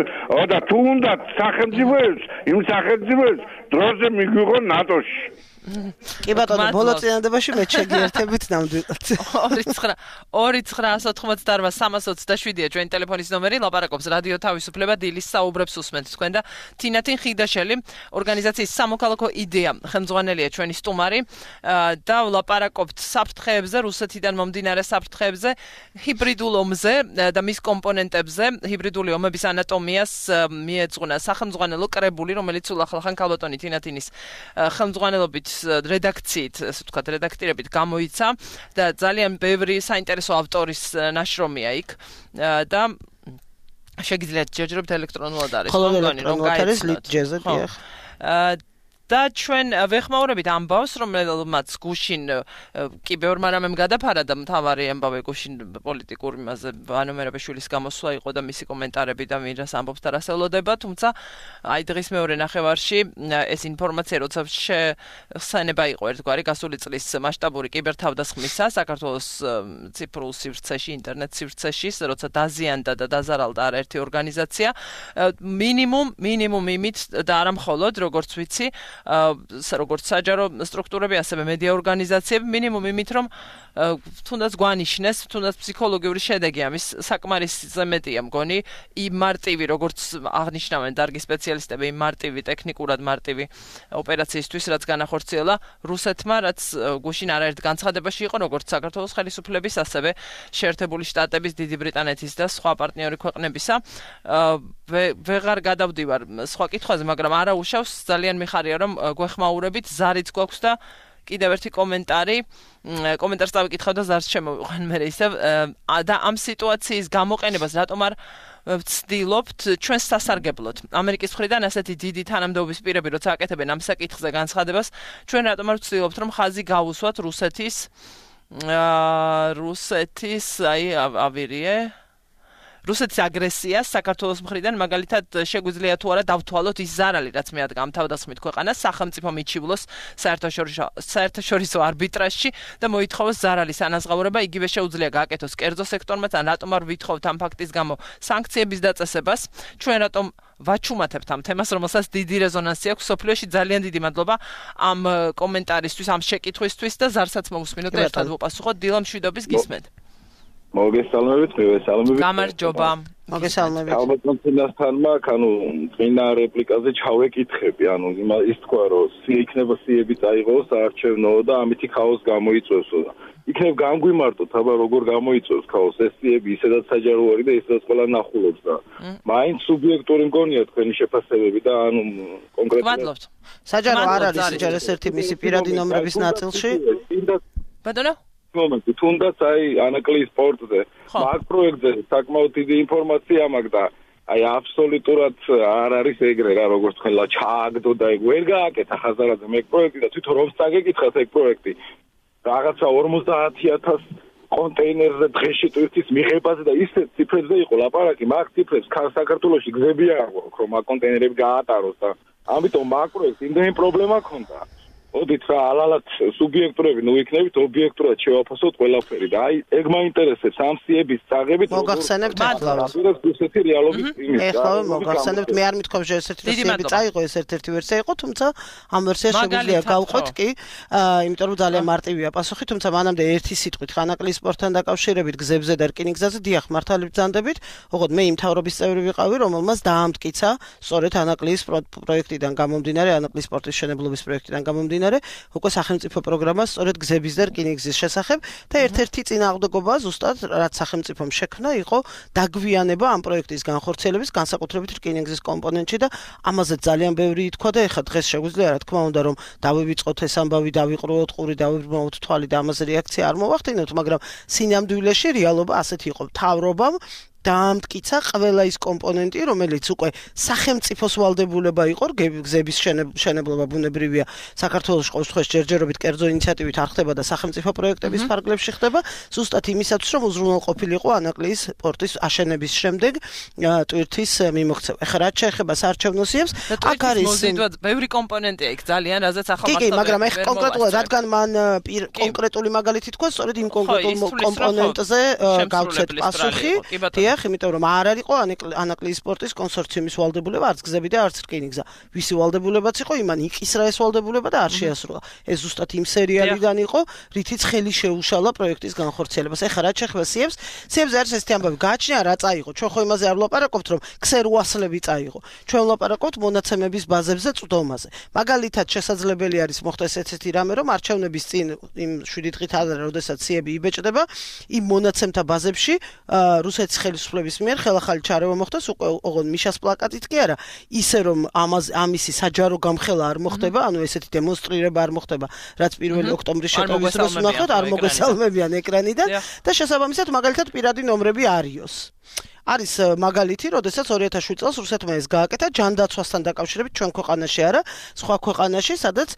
და თუ უნდა სახელმწიფოებს იმ სახელმწიფოებს დროზე მიგვიღო ნატოში კი ბატონო, ბოლო წინადადებაში მე შეგიერთებით ნამდვილად. 29-328-327-ია ჩვენი ტელეფონის ნომერი, ლაპარაკობს რადიო თავისუფლება, დილის საუბრებს უსმენთ თქვენ და თინათინ ხიდაშელი, ორგანიზაციის სამოქალაქო იდეა ხელმძღვანელია ჩვენი სტუმარი და ლაპარაკობთ საფრთხეებზე, რუსეთიდან მომდინარე საფრთხეებზე, ჰიბრიდულ ომზე და მის კომპონენტებზე, ჰიბრიდული ომების ანატომიას მიეძღვნა სახელმძღვანელო კრებული, რომელიც სულ ახალხან ქალბატონი თინათინის ხელმძღვანელობით რედაქციით, ასე ვთქვათ, რედაქტირებით გამოიცა და ძალიან ბევრი საინტერესო ავტორის ნაშრომია იქ და შეგიძლიათ ჯერჯერობით ელექტრონულად არის, რომ გაიცნოთ. და ჩვენ ვეხმაურებით ამბავს, რომელმაც გუშინ კი ბევრმა რამემ გადაფარა და მთავარი ამბავი გუშინ პოლიტიკურ იმაზე ვანომერებაშვილის გამოსვლა იყო და მისი კომენტარები და მირას ამბობს და რას ელოდება, თუმცა აი დღის მეორე ნახევარში ეს ინფორმაცია როცა ხსენება იყო ერთგვარი გასული წლის მასშტაბური კიბერთავდასხმისა საქართველოს ციფრულ სივრცეში, ინტერნეტ სივრცეში, როცა დაზიანდა და დაზარალდა არაერთი ორგანიზაცია, მინიმუმ იმით და არა მხოლოდ, როგორც ვიცი, როგორც საჯარო სტრუქტურები, ასევე მედია ორგანიზაციები, მინიმუმ იმით, რომ თუნდაც გვანიშნეს, თუნდაც ფსიქოლოგიური შედეგი ამის საკმარისზე მეტია მგონი, იმ მარტივი, როგორც აღნიშნავენ დარგის სპეციალისტები, იმ მარტივი, ტექნიკურად მარტივი ოპერაციისთვის, რაც განახორციელა რუსეთმა, რაც გუშინ არაერთ განცხადებაში იყო, როგორც საქართველოს ხელისუფლების, ასევე შეერთებული შტატების, დიდი ბრიტანეთის და სხვა პარტნიორი ქვეყნებისა. ვეღარ გადავდივარ სხვა კითხვაზე, მაგრამ არა უშავს, ძალიან მიხარია, რომ გვეხმაურებით, ზარიც გვაქვს და კიდევ ერთი კომენტარს დავიკითხავ და ზარს შემოვიყვან მე ისევ და ამ სიტუაციის გამოყენებას რატომ არ ვცდილობთ ჩვენს სასარგებლოდ. ამერიკის მხრიდან ასეთი დიდი თანამდებობის პირები, როცა აკეთებენ ამ საკითხზე განცხადებას, ჩვენ რატომ არ ვცდილობთ, რომ ხაზი გავუსვათ რუსეთის რუსეთის აგრესიას საქართველოს მხრიდან, მაგალითად შეგვიძლია თუ არა დავთვალოთ ის ზარალი, რაც მეადგა ამ თავდასხმით ქვეყანას, სახელმწიფო მიჩივლოს საერთაშორისო არბიტრაჟში და მოითხოვოს ზარალის ანაზღაურება, იგივე შეუძლია გააკეთოს კერძო სექტორმაც, ან რატომ არ ვითხოვთ ამ ფაქტის გამო სანქციების დაწესებას, ჩვენ რატომ ვაჩუმათებთ ამ თემას, რომელსაც დიდი რეზონანსი აქვს სოფლიოში. ძალიან დიდი მადლობა ამ კომენტარისთვის, ამ შეკითხვისთვის და ზარსაც მოვუსმინოთ და ერთად ვუპასუხოთ. დილა მშვიდობის გისმენთ. მოგესალმებით, გამარჯობა. მოგესალმებით. ალბათნასთანმა, წინა რეპლიკაზე ჩავეკითხები, ის თქვა, რომ იქნება სიები წაიღოს საარჩევნო და ამითი ქაოს გამოიწვევს. იქნებ განგვიმარტოთ, აბა როგორ გამოიწვევს ქაოს, ეს სიები ისედაც საჯარო არის და ისედაც ყველა ნახულობს და მაინც სუბიექტური მგონია თქვენი შეფასებები და კონკრეტულად საჯარო არ არის ჯერ ერთ მისი პირადი ნომრების ნაწილში. ბატონო მომენტი, თუნდაც ანაკლის სპორტზე, მაგ პროექტზე საკმაოდ დიდი ინფორმაცია მაქვს და აბსოლუტურად არ არის ეგრე რა, როგორც თქვენლა ჩააგდო და ეგ ვერ გააკეთა ხაზარაძე მე პროექტი და თვითონ რომ წაგეკითხათ ეგ პროექტი რაღაცა 50,000 კონტეინერზე დღეში ტვირთის მიღებაზე და ისეთ ციფრებზე იყო ლაპარაკი, მაგ ციფრებს საქართველოში გზები არ აქვს, რომ მაგ კონტეინერები გაატაროს და ამიტომ მაგ პროექტს იმდენი პრობლემა ქონდა. ოდით რა ალალად სუბიექტურები იქნებით ობიექტურად შევაფასოთ ყველაფერი და ეგ მაინტერესებს ამ სიების წაღებით მოგახსენებთ რუსეთი რეალობის იმის ეხლა მოგახსენებთ მე არ მithქვამს რომ ეს ერთ-ერთი წაიღო ეს ერთ-ერთი ვერსია იყო თუმცა ამ ვერსიას შეგვიძლია გავყვეთ კი იმიტომ რომ ძალიან მარტივია პასუხი თუმცა მანამდე ერთი სიტყვით ხანაკლის სპორტთან დაკავშირებით გზებზე და რკინიგზაზე დიახ მართალი ბრძანდებით ოღონდ მე იმ თავრობის წევრი ვიყავი რომელმაც დაამტკიცა სწორედ ანაკლის პროექტიდან გამომდინარე ანაკლის სპორტის მშენებლობის პროექტიდან გამომდინარე უკვე სახელმწიფო პროგრამა სწორედ გზების და რკინიგზის შესახებ და ერთ-ერთი წინააღმდეგობა ზუსტად რაც სახელმწიფომ შექმნა იყო დაგვიანება ამ პროექტის განხორციელების განსაკუთრებით რკინიგზის კომპონენტში და ამაზე ძალიან ბევრი ითქვა და ეხლა დღეს შეგვიძლია რა თქმა უნდა რომ დავივიწყოთ ეს ამბავი დავიყრუოთ ყური დავიბრმავთ თვალი და ამაზე რეაქცია არ მოვახდინოთ მაგრამ სინამდვილეში რეალობა ასეთი იყო მთავრობამ დაამტკიცა ყველა ის კომპონენტი, რომელიც უკვე სახელმწიფოს ვალდებულება იყო, გზების მშენებლობა ბუნებრივია, საქართველოს ყოველ შემთხვევაში ჯერჯერობით კერძო ინიციატივით არ ხდება და სახელმწიფო პროექტების ფარგლებში ხდება, ზუსტად იმისათვის, რომ უზრუნველყოფილიყო ანაკლის პორტის აშენების შემდეგ ტვირთის მიმოქცევა. ეხლა რაც შეეხება საარჩევნო სიებს, აქ არის ბევრი კომპონენტია იქ ძალიან, რაზეც ახლა კი, მაგრამ ეხ კონკრეტულად რადგან მან კონკრეტული მაგალითი თქვა, სწორედ იმ კონკრეტულ კომპონენტზე გავცეთ პასუხი. დიახ, იმიტომ რომ არ არისო ანაკლიის სპორტის კონსორციუმის ვალდებულება, არც გზები და არც რკინიგზა. ვისი ვალდებულებაც იყო, იმან იკისრა ეს ვალდებულება და არ შეასრულა. ეს ზუსტად იმ სერიალიდან იყო, რითიც ხელი შეუშალა პროექტის განხორციელებას. ეხლა რაც შეეხება სიებზე არის ესეთი ამბავი, გააჩნია რა წაიღო. ჩვენ ხო იმაზე არ ვლაპარაკობთ, რომ ქსერუასლები წაიღო. ჩვენ ვლაპარაკობთ მონაცემების ბაზებზე წვდომაზე. მაგალითად, შესაძლებელი არის მოხდეს ესეთი რამე, რომ არჩევნების წინ იმ 7 დღით ადრე, როდესაც სიები იბეჭდება, იმ მონაცემთა ბაზებში რუსეთის ხელისუფლების მიერ ხელახალი ჩარევა მოხდეს, უკვე ოღონდ მიშას პლაკატით კი არა, ისე რომ ამისი საჯარო გამხელა არ მოხდება, ანუ ესეთი დემონსტრირება არ მოხდება, რაც 1 ოქტომბრის შეტევის დროს ვნახოთ, არ მოგესალმებიან ეკრანიდან და შესაბამისად მაგალითად პირადი ნომრები არიოს. არის მაგალითი, როდესაც 2007 წელს რუსეთმა ეს გააკეთა ჯანდაცვასთან დაკავშირებით ჩვენ ქვეყანაში არა, სხვა ქვეყანაში, სადაც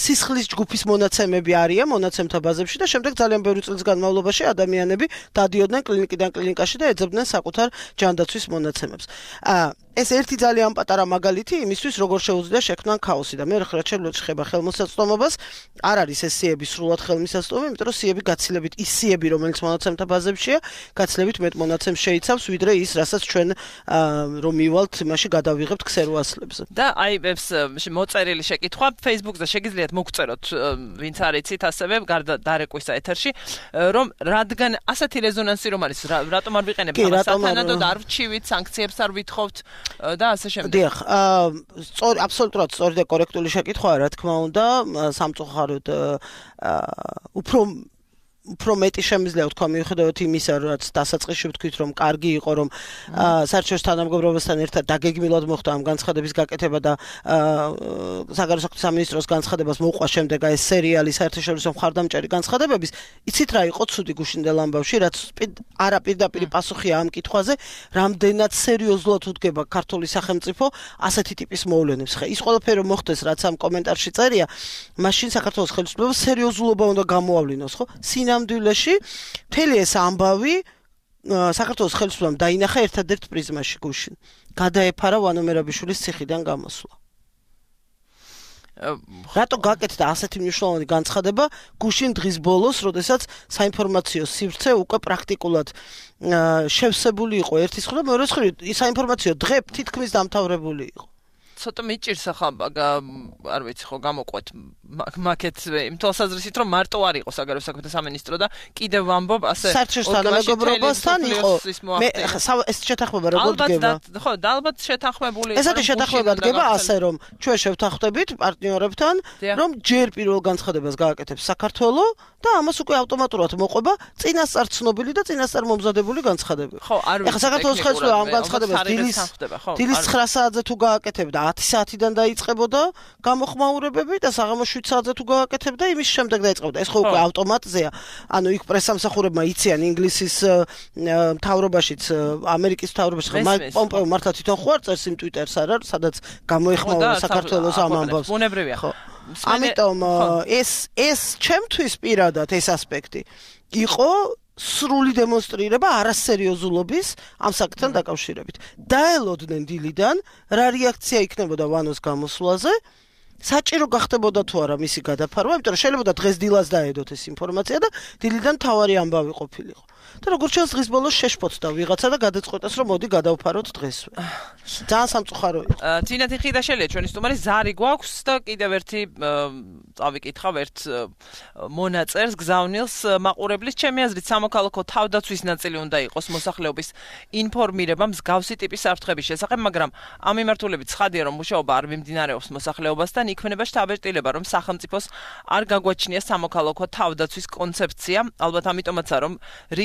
სისხლის ჯგუფის მონაცემები არიან მონაცემთა ბაზებში და შემდეგ ძალიან ბევრი წლის განმავლობაში ადამიანები დადიოდნენ კლინიკიდან კლინიკაში და ეძებდნენ საკუთარ ჯანდაცვის მონაცემებს. ეს ერთი ძალიან პატარა მაგალითი იმისთვის, როგორ შეუძლია შექმნან ქაოსი და მე ხება ხელმისაწვდომობას, არ არის ეს სიები სრულად ხელმისაწვდომი, იმიტომ რომ სიები გაცილებით ის სიები, რომელიც მონაცემთა ბაზებშია, გაცილებით მეტ მონაცემს შეიცავს, ვიდრე ის, რასაც ჩვენ რომ მივალთ იმაში გადავიღებთ ქსერუასლებზე. და აი ეს მოწერილი შეკითხვა Facebook-ზე შეგიძლიათ მოგწეროთ, ვინც არ იცით ასევე გარდა დარეკვისა ეთერში, რომ რადგან ასეთი რეზონანსი რომ არის, რატომ არ ვიყენებთ ამას სათანადოდ არ ვჩივით, სანქციებს არ ვითხოვთ და ასე შემდეგ. დიახ, აბსოლუტურად სწორი და კორექტული შეკითხვაა, რა თქმა უნდა, სამწუხაროდ უფრო მეტი შემიძლია ვთქვა მიუხედავად იმისა, რაც დასაწყისში ვთქვით, რომ კარგი იყო, რომ საერთაშორისო თანამეგობრობასთან ერთად დაგეგმილად მოხდა ამ განცხადების გაკეთება და საგარეო საქმეთა სამინისტროს განცხადებას მოყვა შემდეგ ეს სერიალი საერთაშორისო მხარდამჭერი განცხადებების. იცით რა იყო ცუდი გუშინდელ ამბავში, რაც არაპირდაპირი პასუხია ამ კითხვაზე, რამდენად სერიოზულად უდგება ქართული სახელმწიფო ასეთი ტიპის მოვლენებს. ხა ის ყველაფერი რომ მოხდეს, რაც ამ კომენტარში წერია, მაშინ საქართველოს ხელისუფლება სერიოზულობა უნდა გამოავლინოს, ხო? ნამდვილეში მთელი ეს ამბავი საქართველოს ხელისუფლებამ დაინახა ერთადერთ პრიზმაში გუშინ. გადაეფარა ვანო მერაბიშვილის ციხიდან გამოსვლა. რატო გაკეთდა ასეთი მნიშვნელოვანი განცხადება გუშინ დღის ბოლოს, როდესაც საინფორმაციო სივრცე უკვე პრაქტიკულად შევსებული იყო ერთის მხრივ და მეორეს მხრივ საინფორმაციო დღე თითქმის დამთავრებული იყო. ცოტა მიჭირს ახლა არ ვიცი ხო გამოყვეთ მაკეთ იმ თვალსაზრისით რომ მარტო არ იყო საგარეო საქმეთა სამინისტრო და კიდევ ვამბობ ასე საერთაშორისო თანამეგობრობასთან იყო მე ეს შეთანხმება როგორ დგება ხო და ალბათ შეთანხმებული ესეთი შეთანხმება დგება ასე რომ ჩვენ შევთანხმდებით პარტნიორებთან რომ ჯერ პირველ განცხადებას გააკეთებს საქართველო და ამას უკვე ავტომატურად მოყვება წინასწარ ცნობილი და წინასწარ მომზადებული განცხადებები ხო არ ვიცი ეხლა საქართველოს ხელისუფლება ამ განცხადებას დილის 9 საათზე თუ გააკეთებდა 10 საათიდან დაიწყებოდა გამოხმაურებები და საღამოს 7 საათზე თუ გააკეთებდა იმის შემდეგ დაიწყებოდა ეს ხო უკვე ავტომატზეა ანუ იქ პრესამსახურებმა იციან ინგლისის მთავრობაშიც ამერიკის მთავრობაში ხო მაიკ პომპეო მართლა თვითონ ხო არ წერს იმ ტვიტერს არა სადაც გამოეხმაურა საქართველოს ამ ამბავს ბუნებრივია ხო ამიტომ ეს ჩემთვის პირადად ეს ასპექტი იყო სრული დემონსტრირება არასერიოზულობის ამ საკითხთან დაკავშირებით. დაელოდნენ დილიდან რა რეაქცია იქნებოდა ვანოს გამოსვლაზე, საჭირო გახდებოდა თუ არა მისი გადაფარვა, იმიტომ რომ შეიძლება დღეს დილას დაედოთ ეს ინფორმაცია და დილიდან თავარი ამბავი ყოფილიყო. და როგორც ჩანს დღის ბოლოს შეშფოთდა ვიღაცა და გადაწყვეტეს რომ მოდი გადავფაროთ დღესვე. ძალიან სამწუხარო იყო. თინათი ხიდაშელია ჩვენი სტუმარი ზარი გვაქვს და კიდევ ერთი წავიკითხავ ერთ მონაწერს გზავნილს მაყურებლის ჩემი აზრით სამოქალაქო თავდაცვის ნაწილი უნდა იყოს მოსახლეობის ინფორმირება მსგავსი ტიპის საფრთხების შესახებ, მაგრამ ამ მიმართულებით ცხადია რომ მუშაობა არ მიმდინარეობს მოსახლეობასთან, იქმნება შთაბეჭდილება რომ სახელმწიფოს არ გაგვაჩნია სამოქალაქო თავდაცვის კონცეფცია, ალბათ ამიტომაცაა რომ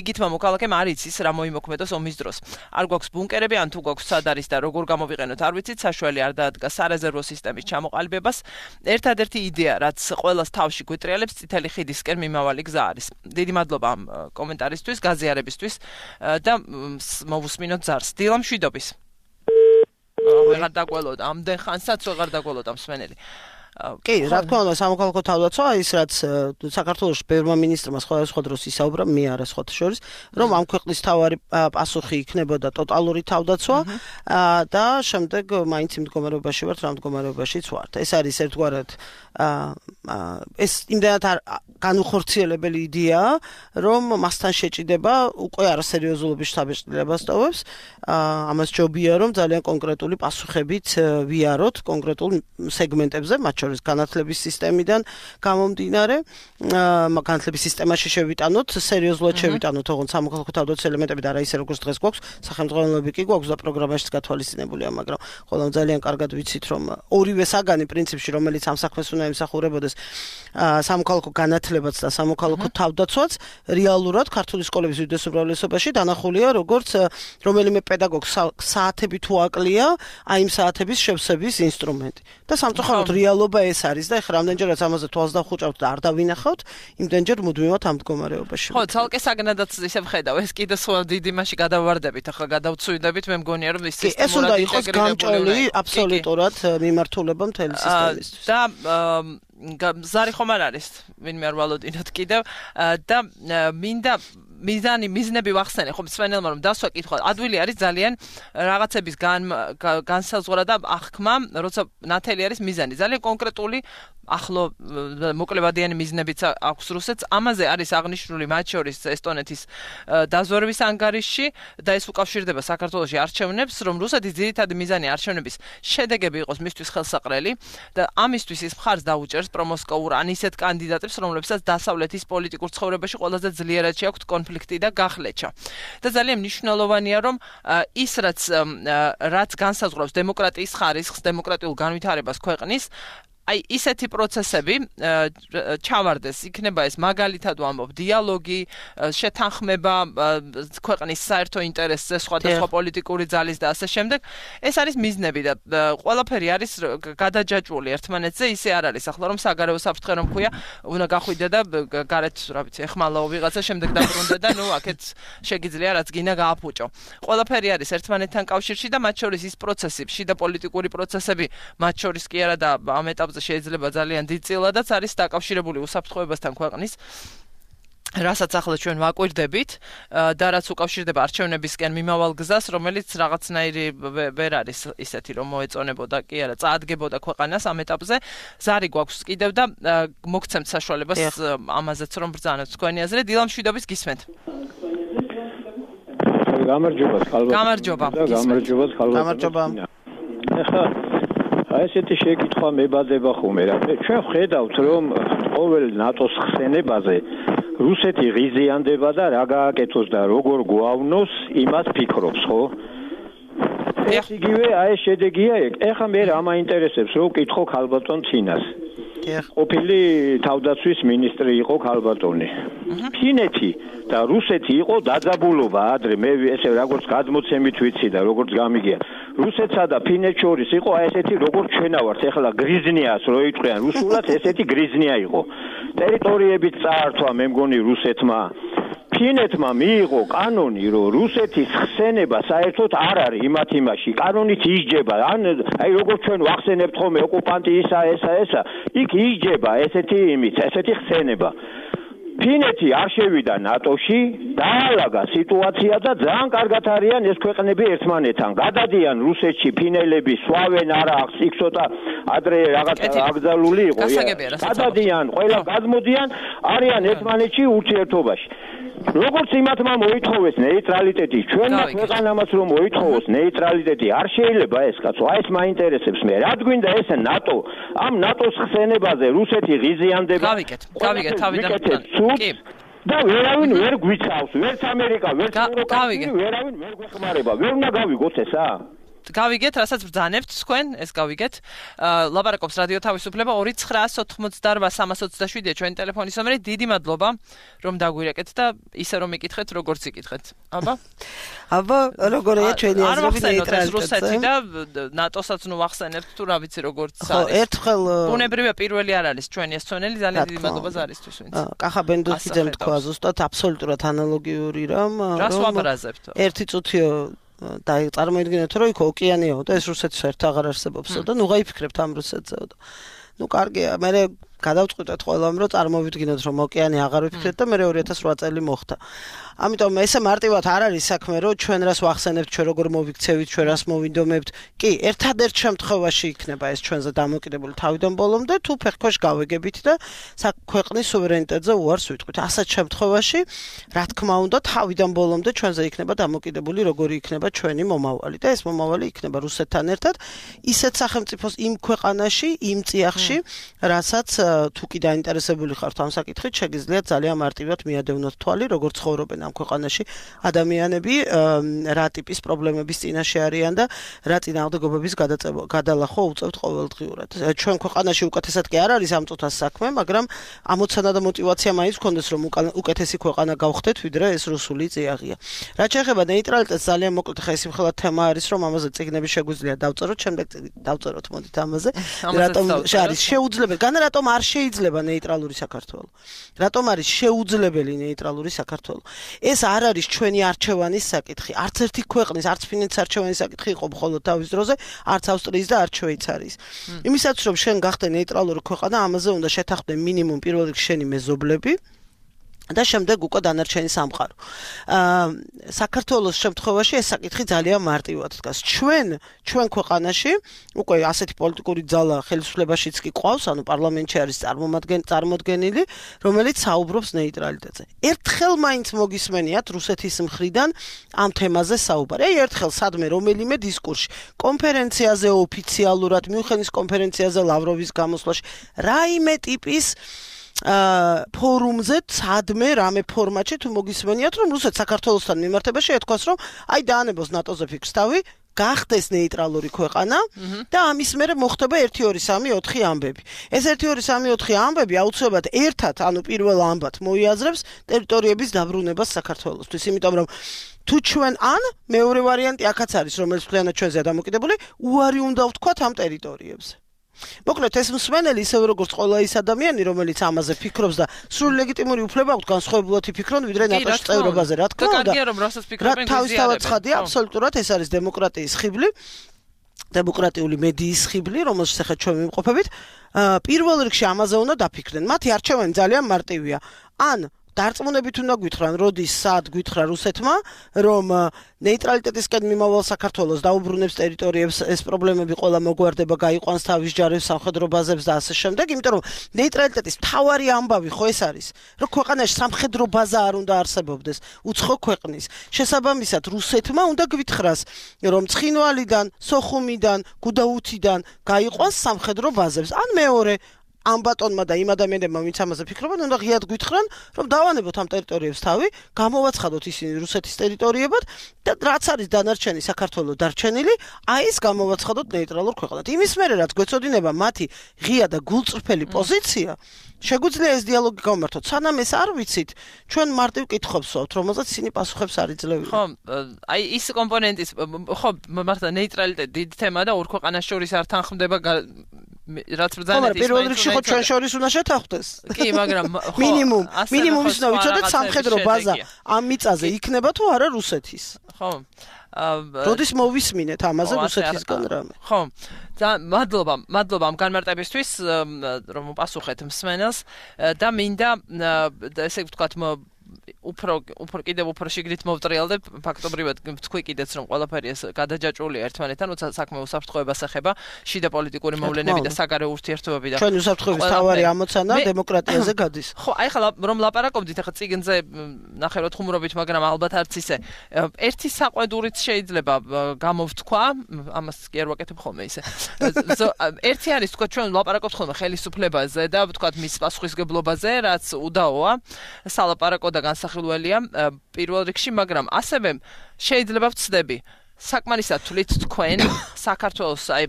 რიგითმა მოქალაქემ არ იცის რა მოიმოქმედოს ომის დროს. არ გვაქვს ბუნკერები, ან თუ გვაქვს სად არის და როგორ გამოვიყენოთ, არ ვიცით, საშუალება არ დაადგა სარეზერვო სისტემის ჩამოყალიბებას. ერთადერთი იდეა, რაც ყველას თავში გვეტრიალებს, წითელი ხიდისკენ მიმავალი გზა არის. დიდი მადლობა ამ კომენტარისთვის, გაზიარებისთვის და მოვუსმინოთ ზარს. დილა მშვიდობის. ვეღარ დაგველოდა, ამდენ ხანსაც ვეღარ დაგველოდა მსმენელი. კი, რა თქმა უნდა, სამოქალაქო თავდაცვა ის რაც საქართველოს ბევრმა მინისტრმა სხვადასხვა დროს ისაუბრა, მე არა სხვათა შორის, რომ ამ ქვეყნის თავარი პასუხი იქნებოდა ტოტალური თავდაცვა და შემდეგ მაინც იმ მდგომარეობაში ვართ, რა მდგომარეობაშიც ვართ. ეს არის ერთგვარად ეს იმდენად განუხორციელებელი იდეაა, რომ მასთან შეჭიდება უკვე არასერიოზულობის შთაბეჭდილებას ტოვებს. ამას ჯობია, რომ ძალიან კონკრეტული პასუხებით ვიაროთ კონკრეტულ სეგმენტებზე, მათ შორის განათლების სისტემიდან გამომდინარე, განათლების სისტემაში შევიტანოთ, სერიოზულად შევიტანოთ, ოღონდ სამოქალაქო თავდაცვის ელემენტები და არა ისე როგორც დღეს გვაქვს, სახელმწიფოები კი გვაქვს და პროგრამაშიც გათვალისწინებულია, მაგრამ ხოლმე ძალიან კარგად ვიცით, რომ ორივე საგანი პრინციპში, რომელიც ამ საქმეს უნდა ემსახურებოდეს, სამოქალაქო განათლებაც და სამოქალაქო თავდაცვაც რეალურად ქართული სკოლების უდიდეს უმრავლესობაში დანახულია, როგორც რომელიმე პედაგოგს საათები თუ აკლია, აი იმ საათების შევსების ინსტრუმენტი. და სამწუხაროდ რეალობა ეს არის და ეხლა რამდენჯერაც ამაზე თვალს დავხუჭავთ და არ დავინახავთ, იმდენჯერ მუდმივად ამ მდგომარეობაში. ხო, ცალკე საგნადაც ისე ვხედავ, ეს კიდე სხვა დიდი მასში გადავარდებით, ახლა გადავცვიდებით, მე მგონია რომ ის სისტემურად ეს უნდა იყოს გამჭოლი აბსოლუტურად მიმართულება მთელი სისტემისთვის. და ზარი ხომ არ არის, ვინმე არ ვალოდინოთ კიდევ და მინდა მიზნები ვახსენე, ხო მსვენელმა რომ დასვა კითხვა, ადვილი არის ძალიან რაღაცების განსაზღვრა და აღქმა, როცა ნათელი არის მიზანი. ძალიან კონკრეტული ახლო მოკლებადიანი მიზნებიც აქვს რუსეთს. ამაზე არის აღნიშნული მათ შორის ესტონეთის დაზვერვის ანგარიშში და ეს უკავშირდება საქართველოში არჩევნებს, რომ რუსეთის ძირითადი მიზანი არჩევნების შედეგები იყოს მისთვის ხელსაყრელი და ამისთვის ის მხარს დაუჭერს პრომოსკოვურ ან ისეთ კანდიდატებს, რომლებსაც დასავლეთის პოლიტიკურ ცხოვრებაში ყველაზე ძლიერად შეაქვთ კონფლიქტი და გახლეჩა. და ძალიან მნიშვნელოვანია, რომ ის რაც განსაზღვრავს დემოკრატიის ხარისხს, დემოკრატიულ განვითარებას ქვეყნის, აი ისეთი პროცესები ჩავარდეს, იქნება ეს მაგალითად ვამბობ, დიალოგი, შეთანხმება ქვეყნის საერთო ინტერესზე, სხვადასხვა პოლიტიკური ძალის და ასე შემდეგ. ეს არის მიზნები და ყველაფერი არის გადაჯაჭვული ერთმანეთზე, ისე არ არის ახლა რომ საგარეო საფრთხე რომ ქვია, უნდა გახვიდე და გარეთ, რა ვიცი, ეხმალაო ვიღაცა, შემდეგ დაბრუნდე და ნუ აქეთ შეგიძლია რაც გინდა გააფუჭო. ყველაფერი არის ერთმანეთთან კავშირში და მათ შორის ის პროცესი, შიდა პოლიტიკური პროცესები, მათ შორის კი არა და ამ ეტაპზე შეიძლება ძალიან დიდწილადაც არის დაკავშირებული უსაფრთხოებასთან ქვეყნის, რასაც ახლა ჩვენ ვაკვირდებით და რაც უკავშირდება არჩევნებისკენ მიმავალ გზას, რომელიც რაღაცნაირი ვერ არის ისეთი, რომ მოეწონებოდა კი არა, წაადგებოდა ქვეყანას ამ ეტაპზე. ზარი გვაქვს კიდევ და მოგცემთ საშუალებას ამაზეც რომ ბრძანოთ თქვენი აზრი. დილა მშვიდობის გისმენთ. გამარჯობა, ხალხო. გამარჯობა. გამარჯობა. აი ესეთი შეკითხვა მებადება ხომ რა. ჩვენ ვხედავთ რომ ყოველ ნატოს ხსენებაზე რუსეთი ღიზიანდება და რა გააკეთოს და როგორ გვავნოს, იმას ფიქრობს, ხო? ეს იგივე აი შედეგია ეგ. ეხლა მე რა მაინტერესებს რომ ვკითხო ქალბატონ ცინას. ყოფილი თავდაცვის მინისტრი იყო ქალბატონი. ფინეთი და რუსეთი იყო დაძაბულობა ადრე, მე ესე როგორც გადმოცემით ვიცი და როგორც გამიგია. რუსეთსა და ფინეთს შორის იყო აი ესეთი როგორც ჩვენა ვართ, ეხლა გრიზნიას რო იტყვიან რუსულად, ესეთი გრიზნია იყო. ტერიტორიებით წაართვა მე მგონი რუსეთმა. ფინეთმა მიიღო კანონი, რომ რუსეთის ხსენება საერთოდ არ არის იმათ იმაში. კანონით ისჯება, ან აი როგორც ჩვენ ვახსენებთ ხოლმე ოკუპანტი ისა, იქ ისჯება ესეთი იმით, ესეთი ხსენება. ფინეთი არ შევიდა ნატოში, დაალაგა სიტუაცია და ძალიან კარგად არიან ეს ქვეყნები ერთმანეთთან. გადადიან რუსეთში ფინელები, სვავენ არა ახს იქ ცოტა ადრე რაღაც აკრძალული იყო. გადადიან, ყველა გადმოდიან, არიან ერთმანეთში ურთიერთობაში. როგორც იმათმა მოითხოვეს ნეიტრალიტეტი, ჩვენმა ქვეყანამაც რომ მოითხოვოს ნეიტრალიტეტი, არ შეიძლება ეს კაცო, აი ეს მაინტერესებს მე. რა გვინდა ეს ნატო? ამ ნატოს ხსენებაზე რუსეთი ღიზიანდება. გავიგეთ, თავიდან. კი. და ვერავინ ვერ გვიცავს, ვერც ამერიკა, ვერც ევროპა, ვერავინ ვერ გვეხმარება. ვერ უნდა გავიგოთ ესა? გავიგეთ, რასაც ბრძანებთ თქვენ, ეს გავიგეთ. ლაპარაკობს რადიო თავისუფლება 2998327 ჩვენი ტელეფონის ნომერი. დიდი მადლობა, რომ დაგვირეკეთ და ისე რომ იკითხეთ, როგორც იკითხეთ. აბა? აბა, როგორია ჩვენი აზრები ნეიტრალიტეტზე? რუსეთი და ნატოსაც ნუ ვახსენებთ თუ რა ვიცი როგორც არის. ხო, ერთხელ ბუნებრივია პირველი არ არის ჩვენი ეს ცვენელი, ძალიან დიდი მადლობა ზარისთვის ვინც. კახაბენდუძემ თქვა ზუსტად აბსოლუტურად ანალოგიური რამ, რას ვაბრაზებთ? ერთი წუთიო და წარმოიდგინეთ რომ იქ ოკეანეო და ეს რუსეთის ერთ აღარ არსებობსო და ნუ გაიფიქრებთ ამ რუსეთზეო. ნუ კარგია, მე გადავწყვიტეთ ყველამ, რომ წარმოვიდგინოთ, რომ ოკეანე აღარ ვიფიქრეთ და მე 2008 წელი მოხდა. ამიტომ ესე მარტივად არ არის საქმე, რომ ჩვენ რას ვახსენებთ, ჩვენ როგორ მოვიქცევით, ჩვენ რას მოვინდომებთ. კი, ერთადერთ შემთხვევაში იქნება ეს ჩვენზე დამოკიდებული თავიდან ბოლომდე, თუ ფეხქვეშ გავეგებით და ქვეყნის სუვერენიტეტზე უარს ვიტყვით. ასეთ შემთხვევაში, რა თქმა უნდა, თავიდან ბოლომდე ჩვენზე იქნება დამოკიდებული, როგორი იქნება ჩვენი მომავალი და ეს მომავალი იქნება რუსეთთან ერთად, ისეთ სახელმწიფოს იმ ქვეყანაში, იმ წიაღში, რასაც თუ კი დაინტერესებული ხართ ამ საკითხით, შეგიძლიათ ძალიან მარტივად მიადევნოთ თვალი, როგორ ცხოვრობენ ამ ქვეყანაში ადამიანები, რა ტიპის პრობლემების წინაშე არიან და რა წინააღმდეგობების გადალახვა უწევთ ყოველდღიურად. ჩვენ ქვეყანაში უკეთესად კი არ არის ამ წუთას საქმე, მაგრამ ამოცანა და мотиваცია მაინც გქონდეს, რომ უკეთესი ქვეყანა გავხდეთ, ვიდრე ეს რუსული წიაღია. რაც შეეხება ნეიტრალიტეტს, ძალიან მოკლედ ხა ეს მხოლოდ თემა არის, რომ ამაზე წიგნები შეგვიძლია დავწეროთ, შემდეგ დავწეროთ მოდით ამაზე. რატომ არის შეუძლებელი, განა რატომ არ შეიძლება ნეიტრალური საქართველო? რატომ არის შეუძლებელი ნეიტრალური საქართველო? ეს არ არის ჩვენი არჩევანის საკითხი. არც ერთი ქვეყნის, არც ფინეთის არჩევანის საკითხი იყო მხოლოდ თავის დროზე, არც ავსტრიის და არც შვეიცარიის. იმისათვის რომ შენ გახდე ნეიტრალური ქვეყანა, ამაზე უნდა შეთანხმდე მინიმუმ პირველ რიგში შენი მეზობლები და შემდეგ უკვე დანარჩენი სამყარო. საქართველოს შემთხვევაში ეს საკითხი ძალიან მარტივად დგას. ჩვენ ქვეყანაში უკვე ასეთი პოლიტიკური ძალა ხელისუფლებაშიც კი ყავს, ანუ პარლამენტში არის წარმოდგენილი, რომელიც საუბრობს ნეიტრალიტეტზე. ერთხელ მაინც მოგისმენიათ რუსეთის მხრიდან ამ თემაზე საუბარი. აი ერთხელ სადმე რომელიმე დისკურსში, კონფერენციაზე ოფიციალურად, მიუნხენის კონფერენციაზე ლავროვის გამოსვლაში, რაიმე ტიპის ფორუმზე სადმე რამე ფორმატში თუ მოგისმენიათ რომ რუსეთს საქართველოსთან მიმართებაში ეთქვას რომ აი დაანებოს ნატოზე ფიქრს თავი გახდეს ნეიტრალური ქვეყანა და ამის მერე მოხდება 1 2 3 4 ამბები. ეს 1 2 3 4 ამბები აუცილებლად ერთად, ანუ პირველ ამბად მოიაზრებს ტერიტორიების დაბრუნებას საქართველოსთვის, იმიტომ რომ თუ ჩვენ ან მეორე ვარიანტი აქაც არის, რომელიც მთლიანად ჩვენზეა დამოკიდებული, უარი უნდა ვთქვათ ამ ტერიტორიებზე. მოკლედ ეს მსმენელი ისევე როგორც ყველა ის ადამიანი, რომელიც ამაზე ფიქრობს და სრული ლეგიტიმური უფლება აქვს განსხვავებულად იფიქრონ, ვიდრე ნატოს წევრობაზე, რა თქმა უნდა. კარგია რომ რასაც ფიქრობენ თავისთავად ცხადია, აბსოლუტურად ეს არის დემოკრატიის ხიბლი, დემოკრატიული მედიის ხიბლი, რომელშიც ახლა ჩვენ ვიმყოფებით. პირველ რიგში ამაზე უნდა დაფიქრდნენ. მათი არჩევანი ძალიან მარტივია. ან დარწმუნებით უნდა გვითხრან, როდის სად გვითხრა რუსეთმა, რომ ნეიტრალიტეტისკენ მიმავალ საქართველოს დაუბრუნებს ტერიტორიებს, ეს პრობლემები ყველა მოგვარდება, გაიყვანს თავის ჯარებს, სამხედრო ბაზებს და ასე შემდეგ, იმიტომ რომ ნეიტრალიტეტის მთავარი ამბავი ხო ეს არის, რომ ქვეყანაში სამხედრო ბაზა არ უნდა არსებობდეს, უცხო ქვეყნის. შესაბამისად, რუსეთმა უნდა გვითხრას, რომ ცხინვალიდან, სოხუმიდან, გუდაუთიდან გაიყვანს სამხედრო ბაზებს. ან მეორე ამ ბატონმა და იმ ადამიანებმა, ვინც ამაზე ფიქრობენ, უნდა ღიად გვითხრან, რომ დავანებოთ ამ ტერიტორიებს თავი, გამოვაცხადოთ ისინი რუსეთის ტერიტორიებად და რაც არის დანარჩენი საქართველოს დარჩენილი, აი ეს გამოვაცხადოთ ნეიტრალურ ქვეყანად. იმის მერე რაც გვეცოდინება მათი ღია და გულწრფელი პოზიცია, შეგვიძლია ეს დიალოგი გავმართოთ. სანამ ეს არ ვიცით, ჩვენ მარტივ კითხვებს ვსვავთ, რომელსაც ისინი პასუხებს არ იძლევიან. ხო, აი ის კომპონენტის, ხო, მართლა ნეიტრალიტეტი დიდი თემაა და ორ ქვეყანას შორის არ თანხმდება რაც ბრძანეთ ის პირველ რიგში ხო ჩვენ შორის უნდა შეთანხმდეს. კი, მაგრამ ხო მინიმუმ ის უნდა ვიცოდეთ სამხედრო ბაზა ამ მიწაზე იქნება თუ არა რუსეთის. ხო. როდის მოვისმინეთ ამაზე რუსეთისგან რამე. ხო. მადლობა ამ განმარტებისთვის, რომ პასუხეთ მსმენელს და მინდა ესე ვთქვათ უფრო კიდევ უფრო შიგნით მოვტრიალდებ ფაქტობრივად თქვი კიდეც რომ ყველაფერი ეს გადაჯაჭვულია ერთმანეთთან, როცა საქმე უსაფრთხოებას ეხება, შიდა პოლიტიკური მოვლენები და საგარეო ურთიერთობები და ჩვენ უსაფრთხოების თავარი ამოცანა დემოკრატიაზე გადის. ხო, აი ხლა რომ ლაპარაკობდით, ახლა წიგნზე ნახევრად ხუმრობით, მაგრამ ალბათ არც ისე. ერთი საყვედურით შეიძლება გამოვთქვა, ამას კი არ ვაკეთებ ხოლმე ისე. ერთი არის თქვა ჩვენ ლაპარაკობთ ხოლმე ხელისუფლებაზე და ვთქვათ მის პასუხისგებლობაზე, რაც უდაოა, სალაპარაკო და განსახილველია პირველ რიგში, მაგრამ ასევე შეიძლება ვცდები საკმარისად თვლით თქვენ საქართველოს აი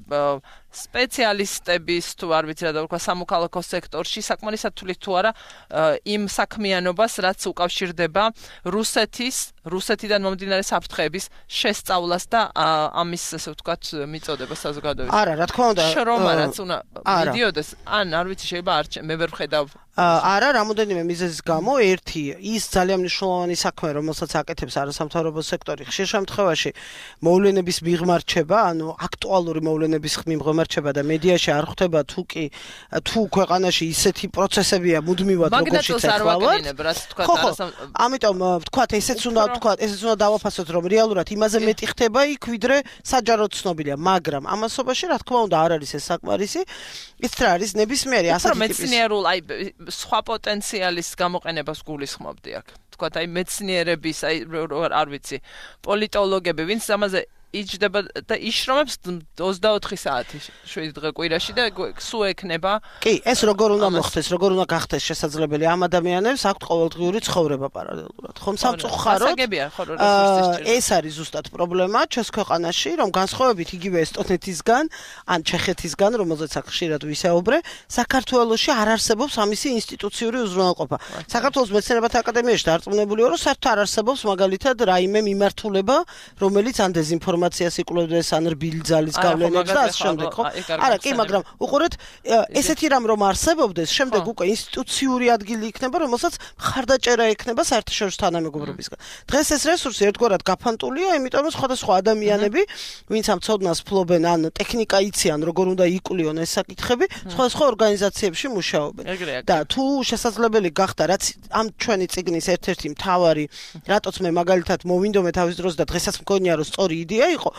სპეციალისტების თუ არ ვიცი რა და ვთქვა სამოქალაქო სექტორში საკმარისად თვლით თუ არა იმ საქმიანობას, რაც უკავშირდება რუსეთიდან მომდინარე საფრთხეების შესწავლას და ამის ასე ვთქვათ მიწოდებას საზოგადოებაში. არა, რა თქმა უნდა. შრომა რაც უნდა მიდიოდეს, ან არ ვიცი შეიძლება მე ვერ ვხედავ არა, რამოდენიმე მიზეზის გამო, ერთი ის ძალიან მნიშვნელოვანი საქმე, რომელსაც აკეთებს არასამთავრობო სექტორი, ხშირ შემთხვევაში მოვლენების მიღმა რჩება, ანუ აქტუალური მოვლენების მიღმა გამარჩება და მედიაში არ ხვდება თუ ქვეყანაში ისეთი პროცესებია მუდმივად როგორიც ეხლა. ამიტომ ვთქვათ ესეც უნდა დავაფასოთ რომ რეალურად იმაზე მეტი ხდება იქ ვიდრე საჯაროდ ცნობილია, მაგრამ ამასობაში რა თქმა უნდა არ არის ეს საკმარისი. ის რა არის ნებისმიერი ასეთი ტიპის მეცნიერულ აი სხვა პოტენციალის გამოყენებას გულისხმობდი აქ. ვთქვათ აი მეცნიერების აი არ ვიცი პოლიტოლოგები ვინც ამაზე იჯდება და იშრომებს 24 საათი 7 დღე კვირაში და სულ ექნება. კი, ეს როგორ უნდა მოხდეს, როგორ უნდა გახდეს შესაძლებელი ამ ადამიანებს აქვთ ყოველდღიური ცხოვრება პარალელურად. ხომ სამწუხაროდ ეს არის ზუსტად პრობლემა ჩვენს ქვეყანაში, რომ განსხვავებით იგივე ესტონეთისგან, ან ჩეხეთისგან, რომელზეც აქ ხშირად ვისაუბრე, საქართველოში არ არსებობს ამისი ინსტიტუციური უზრუნველყოფა. საქართველოს მეცნიერებათა აკადემიაში დარწმუნებული ვარ, რომ საერთოდ არ არსებობს მაგალითად რაიმე მიმართულება, რომელიც ან დეზინფორმაციას იკვლევდეს ან რბილი ძალის გავლენებს და ასე შემდეგ, ხო? არა, კი, მაგრამ უყურეთ, ესეთი რამ რომ არსებობდეს, შემდეგ უკვე ინსტიტუციური ადგილი იქნება, რომელსაც მხარდაჭერა ექნება საერთაშორისო თანამეგობრობისგან. დღეს ეს რესურსი ერთგვარად გაფანტულია, იმიტომ რომ სხვადასხვა ადამიანები, ვინც ამ ცოდნას ფლობენ, ან ტექნიკა იციან, როგორ უნდა იკვლიონ ეს საკითხები, სხვადასხვა ორგანიზაციებში მუშაობენ. და თუ შესაძლებელი გახდა, რაც ამ ჩვენი წიგნის ერთ-ერთი მთავარი, რატოც მე მაგალითად მოვინდომე თავის დროს და დღესაც მგონია რომ სწორი იდეა იყო,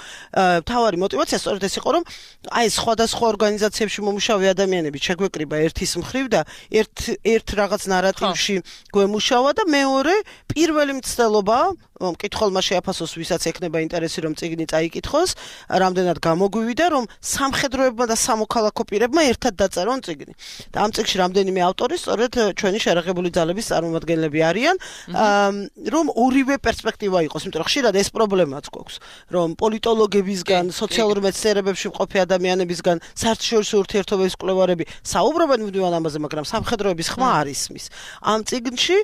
მთავარი мотиваცია სწორედ ეს იყო, რომ აი სხვადასხვა ორგანიზაციებში მომუშავე ადამიანები შეგვეკრიბა ერთის მხრივ და ერთ რაღაც ნარატივში გვემუშავა და მეორე პირველი მცდელობა მკითხველმა შეაფასოს, ვისაც ექნება ინტერესი რომ წიგნი წაიკითხოს, რამდენად გამოგვივიდა, რომ სამხედროებმა და სამოქალაქო პირებმა ერთად დაწერონ წიგნი. და ამ წიგნში რამდენიმე ავტორი სწორედ ჩვენი შეერაღებული ძალების წარმომადგენლები არიან, რომ ორივე პერსპექტივა იყოს, იმიტომ რომ ხშირად ეს პრობლემაც გვაქვს, რომ პოლიტოლოგებისგან, სოციალურ მეცნიერებებში მყოფი ადამიანებისგან, საერთაშორისო ურთიერთობების კვლევარები საუბრობენ მუდმივად ამაზე, მაგრამ სამხედროების ხმა არ ისმის. ამ წიგნში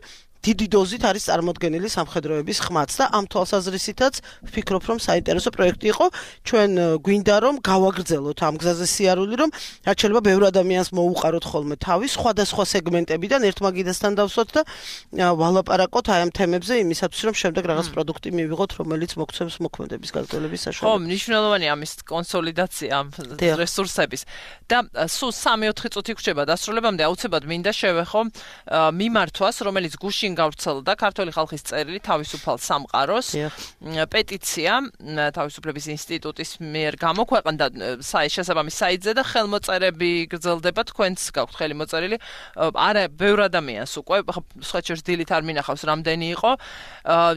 დიდი დოზით არის წარმოდგენილი სამხედროების ხმაც და ამ თვალსაზრისითაც ვფიქრობ, რომ საინტერესო პროექტი იყო. ჩვენ გვინდა რომ გავაგრძელოთ ამ გზაზე სიარული, რომ რაც შეიძლება ბევრ ადამიანს მოუყაროთ ხოლმე თავი სხვადასხვა სეგმენტებიდან ერთმაგიდასთან დავსვათ და ვალაპარაკოთ აი ამ თემებზე იმისათვის, რომ შემდეგ რაღაც პროდუქტი მივიღოთ, რომელიც მოგცემს მოქმედების გაგრძელების საშუალებას. ხო, მნიშვნელოვანია ამის კონსოლიდაცია ამ რესურსების. და სულ 3-4 წუთი გვჭირდება დასრულებამდე აუცილებლად მინდა შევეხო მიმართვას, რომელიც გუშინ გავრცელდა ქართული ხალხის წერილი თავისუფალ სამყაროს პეტიცია თავისუფლების ინსტიტუტის მიერ გამოქვეყნდა შესაბამის საიტზე და ხელმოწერები გრძელდება, თქვენც გაქვთ ხელი მოწერილი. არა, ბევრ ადამიანს უკვე სხვაჩერს დილით არ მინახავს რამდენი იყო.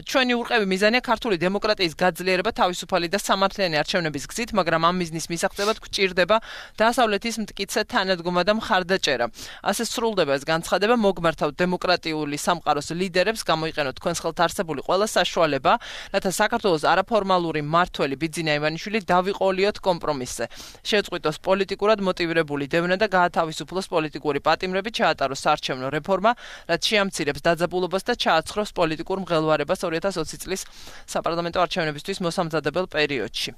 ჩვენი ურყევი მიზანია ქართული დემოკრატიის გაძლიერება თავისუფალი და სამართლიანი არჩევნების გზით, მაგრამ ამ მიზნის მისაღწევად გვჭირდება დასავლეთის მტკიცე თანადგომა და მხარდაჭერა. ასე სრულდება ეს განცხადება, მოგმართავთ დემოკრატიული სამყაროს ლიდერებს გამოიყენოთ თქვენს ხელთ არსებული ყველა საშუალება, რათა საქართველოს არაფორმალური მმართველი ბიძინა ივანიშვილი დავიყოლიოთ კომპრომისზე. შეწყვიტოს პოლიტიკურად მოტივირებული დევნა და გაათავისუფლოს პოლიტიკური პატიმრები, ჩაატაროს საარჩევნო რეფორმა, რაც შეამცირებს დაძაბულობას და ჩააცხროს პოლიტიკურ მღელვარებას 2020 წლის საპარლამენტო არჩევნებისთვის მოსამზადებელ პერიოდში.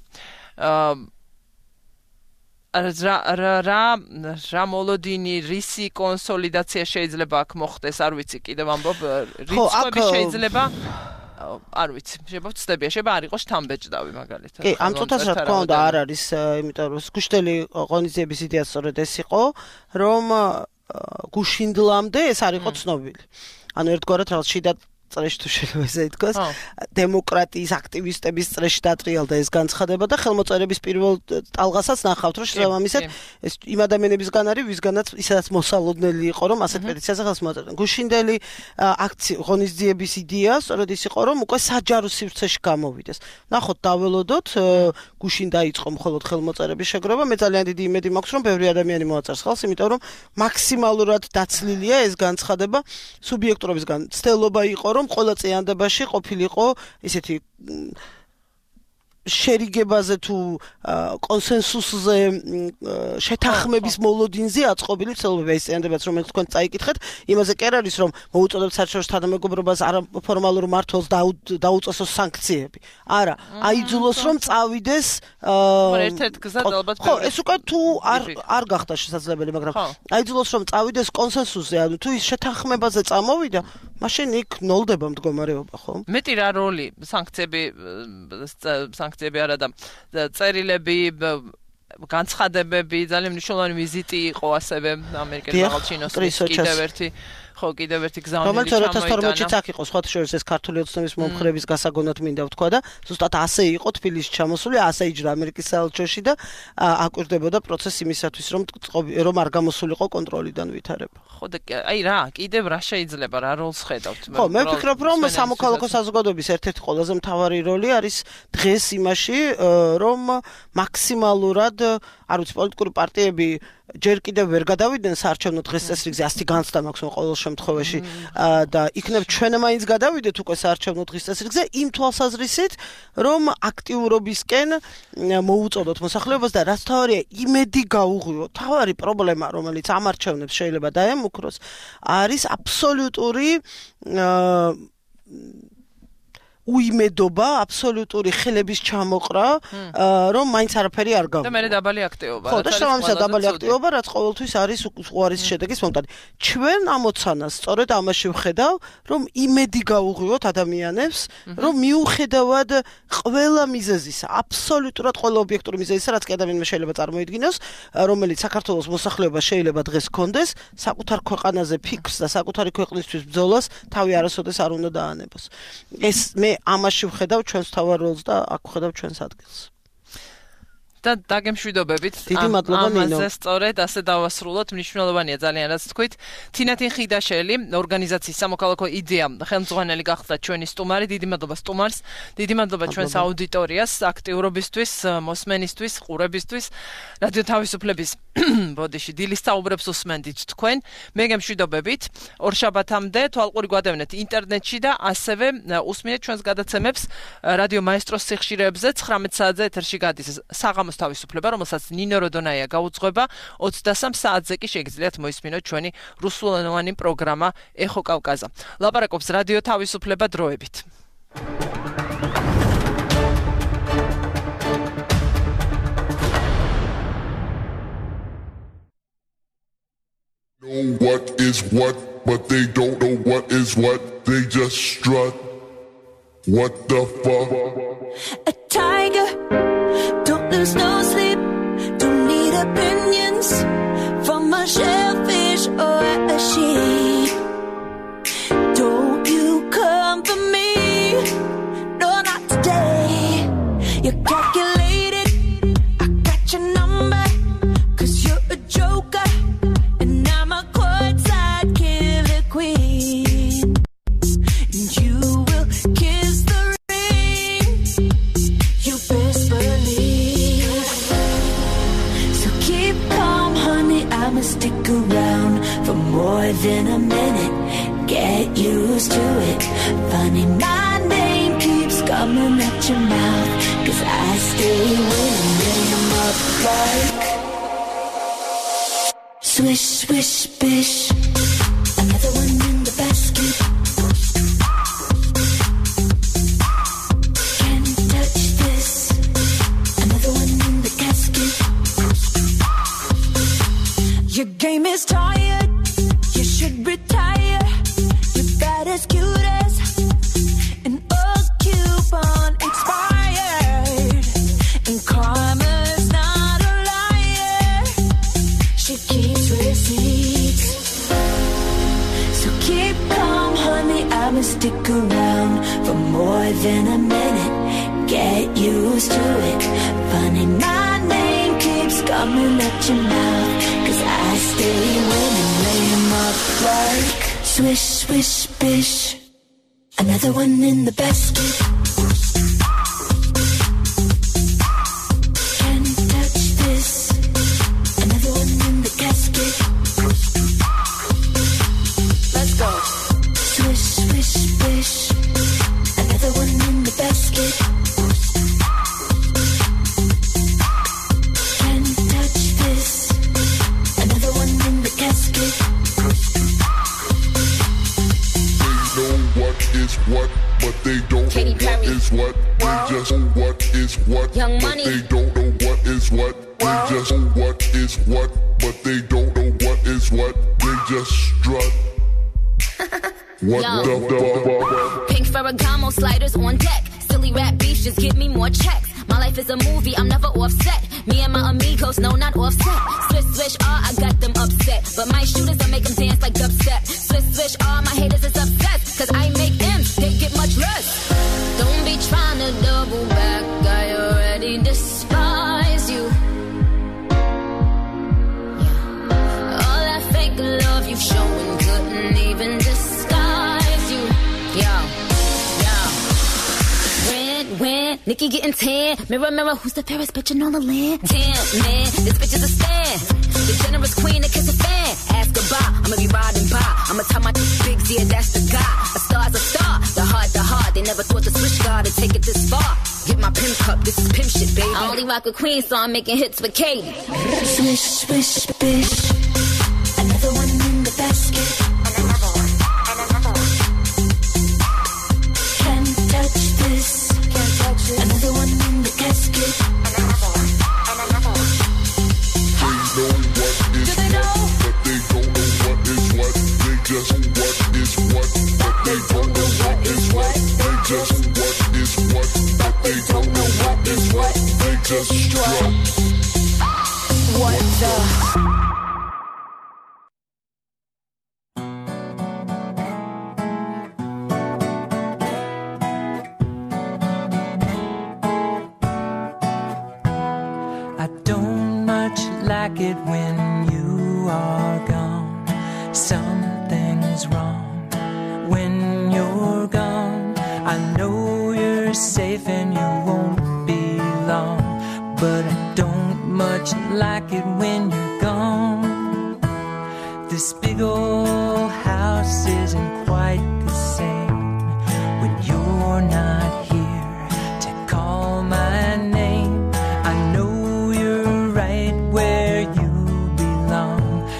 რა მოლოდინი რისი კონსოლიდაცია შეიძლება აქ მოხდეს, არ ვიცი, კიდევ ამბობ რიცხვები შეიძლება არ ვიცი, შეიძლება ვწდებია, შეიძლება არ იყოს შთამბეჭდავი მაგალითად. კი, ამ წუთას რა თქმა უნდა არ არის, იმიტომ რომ გუშინდელი ღონისძიების იდეა სწორედ ეს იყო, რომ გუშინდლამდე ეს არ იყო ცნობილი. ანუ ერთგვარად რაღაც შიდა წრეში თუ შეიძლება ესე ითქვას, დემოკრატიის აქტივისტების წრეში დატრიალდა ეს განცხადება და ხელმოწერების პირველ ტალღასაც ნახავთ, რომ შესაბამისად ეს იმ ადამიანებისგან არის, ვისგანაც ისაც მოსალოდნელი იყო, რომ ასეთ პეტიციაზე ხელს მოაწერდნენ. გუშინდელი ღონისძიების იდეა სწორედ ის იყო, რომ უკვე საჯარო სივრცეში გამოვიდეს. ნახოთ, დაველოდოთ, გუშინ დაიწყო მხოლოდ ხელმოწერების შეგროვა, მე ძალიან დიდი იმედი მაქვს, რომ ბევრი ადამიანი მოაწერს ხელს, იმიტომ რომ მაქსიმალურად დაცლილია ეს განცხადება სუბიექტურობისგან. ცდელობა იყო, რომ ყველა წინადებაში ყოფილიყო ესეთი შერიგებაზე თუ კონსენსუსზე შეთანხმების მოლოდინზე აწყობილი ცდილობები ეს წინადებაც რომელიც თქვენ წაიკითხეთ იმაზე კი არ არის რომ მოუწოდებთ საერთაშორისო თანამეგობრობას არაფორმალურ მმართველს დაუწესოს სანქციები არა აიძულოს რომ წავიდეს ერთ-ერთ გზად ალბათ ხო ეს უკვე თუ არ გახდა შესაძლებელი მაგრამ აიძულოს რომ წავიდეს კონსენსუსზე ანუ თუ ის შეთანხმებაზე წამოვიდა მაშინ იქ ნოლდება მდგომარეობა ხო მეტი რა როლი სანქციები არა და წერილები განცხადებები, ძალიან მნიშვნელოვანი ვიზიტი იყო ასევე ამერიკელ მაღალჩინოსთვის კიდევ ერთი გზავნილი ჩამოიტანა. რომელიც 2012-ში აქ იყო სხვათა შორის ეს ქართული ოცნების მომხრების გასაგონად მინდა ვთქვა და ზუსტად ასე იყო თბილისში ჩამოსული, ასე იჯდა ამერიკის საელჩოში და აკვირდებოდა პროცესი იმისათვის, რომ არ გამოსულიყო კონტროლიდან ვითარება. ხო და აი რა, კიდევ რა შეიძლება, რა როლს ხედავთ? ხო, მე ვფიქრობ, რომ სამოქალაქო საზოგადოების ერთ-ერთი ყველაზე მთავარი როლი არის დღეს იმაში, რომ მაქსიმალურად, არ ვიცი, პოლიტიკური პარტიები ჯერ კიდევ ვერ გადავიდნენ საარჩევნო დღესწესრიგზე, ასეთი განცდა მაქვს ყოველ შემთხვევაში და იქნებ ჩვენ მაინც გადავიდეთ უკვე საარჩევნო დღესწესრიგზე იმ თვალსაზრისით, რომ აქტიურობისკენ მოუწოდოთ მოსახლეობას და რაც თავარია, იმედი გაუღვიოთ. თავარი პრობლემა, რომელიც ამ არჩევნებს შეიძლება დაემუქროს, არის აბსოლუტური უიმედობა, აბსოლუტური ხელების ჩამოყრა, რომ მაინც არაფერი არ გავიგო. და მე დაბალი აქტივობა. ხო, და შესაბამისად დაბალი აქტივობა, რაც ყოველთვის არის უარის შედეგის მომტანი. ჩვენ ამოცანას სწორედ ამაში ვხედავ, რომ იმედი გაუღვიოთ ადამიანებს, რომ მიუხედავად ყველა მიზეზისა, აბსოლუტურად ყველა ობიექტური მიზეზისა, რაც კი ადამიანმა შეიძლება წარმოიდგინოს, რომელიც საქართველოს მოსახლეობა შეიძლება დღეს გქონდეს, საკუთარ ქვეყანაზე ფიქრს და საკუთარი ქვეყნისთვის ბრძოლას თავი არასოდეს არ უნდა დაანებოს. ეს მე ამაში ვხედავ ჩვენს თავარ როლს და აქ ვხედავ ჩვენს ადგილს. და დაგემშვიდობებით. დიდი მადლობა ნინო. ამაზე სწორედ ასე დავასრულოთ. მნიშვნელოვანია ძალიან რაც თქვით. თინათინ ხიდაშელი, ორგანიზაციის სამოქალაქო იდეა ხელმძღვანელი გახდა ჩვენი სტუმარი. დიდი მადლობა სტუმარს. დიდი მადლობა ჩვენს აუდიტორიას, აქტიურობისთვის, მოსმენისთვის, ყურებისთვის. რადიო თავისუფლების ბოდიში დილის საუბრებს უსმენდით თქვენ. მე გემშვიდობებით. ორშაბათამდე თვალყური გვადევნეთ ინტერნეტში და ასევე უსმინეთ ჩვენს გადაცემებს რადიო მაესტროს სიხშირეებზე 19 საათზე ეთერში გადის საღამოს თავისუფლება, რომელსაც ნინო როდონაია გაუძღვება 23 საათზე კი შეგიძლიათ მოისმინოთ ჩვენი რუსულენოვანი პროგრამა ეხო კავკაზა. ლაპარაკობს რადიო თავისუფლება დროებით. Know what is what, but they don't know what is what. They just strut. What the fuck? A tiger, don't lose no sleep. Don't need opinions from a shellfish or a sheep. Don't you come for me? No, not today. You're calculated. I got your number, 'cause you're a joker. And I'm a courtside killer queen. And you will kiss the ring. You best believe. So keep calm, honey. I'ma stick around for more than a minute. Get used to it. Funny, my name keeps coming at your mouth. 'Cause I stay winning. Name up like swish, swish, bish. Another one in the basket. Can't touch this. Another one in the casket. Your game is tired. You should retire. You're bad as cute as an old coupon expired. And karma's not a liar. She keeps receipts. So keep calm, honey. I'ma stick around for more than a minute. Get used to it. Funny, my name keeps coming at your mouth. 'Cause I stay winning. Lay 'em up like swish, swish, bish. Another one in the basket. Can't touch this. Another one in the casket. Let's go. Swish, swish, bish. Another one in the basket. Can't touch this. Another one in the casket. They know what is what, but they don't Katy know what Perry. is what. They just know what is what, Young but Money. they don't know what is what. They just know what is what, but they don't know what is what. They just strut. What Yo. the fuck? Pink Ferragamo sliders on deck. Silly rap beats just give me more checks. My life is a movie, I'm never offset. Me and my amigos, no, not offset. Swish, swish, I got them upset. But my shooters, I make them dance like dubstep. Swish, swish, my haters is upset. Cause I make M's, they get much less. Don't be trying to double back, I already despise you. Yeah. All that fake love you've shown couldn't even disguise you. Yo. When Nikki getting tan, mirror, mirror, who's the fairest bitch in all the land? Damn, man, this bitch is a stan. The generous queen that kiss a fan. Ask goodbye, I'ma be riding by. I'ma tell my bigs, yeah, that's the guy. A star's a star, the heart. They never thought the switch guard would take it this far. Get my pimp cup, this is pimp shit, baby. I only rock with Queen, so I'm making hits with Katie. Swish, swish, bish. Another one in the basket. Another one. Can't touch this. Another one in the casket. Another one. They know what is what, but they don't know what is what. They just what is what, but they don't know what is what. They just what is what, but they don't know what is what. They just strut. What the? Like it when you are gone. Something's wrong when you're gone. I know you're safe and you won't be long, but I don't much like it when you're gone. This big old house isn't quite the same when you're not here to call my name. I know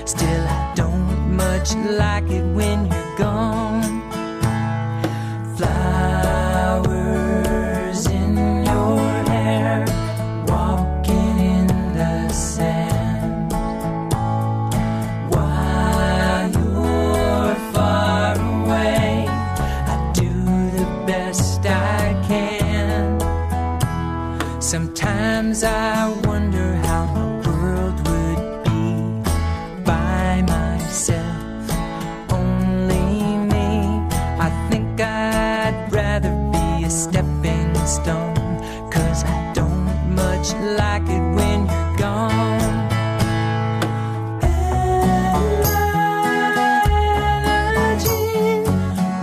still I don't much like it when you're gone. Flowers in your hair, walking in the sand. While you're far away, I do the best I can. Sometimes I wonder how my world would only me. I think I'd rather be a stepping stone, 'cause I don't much like it when you're gone. Energy,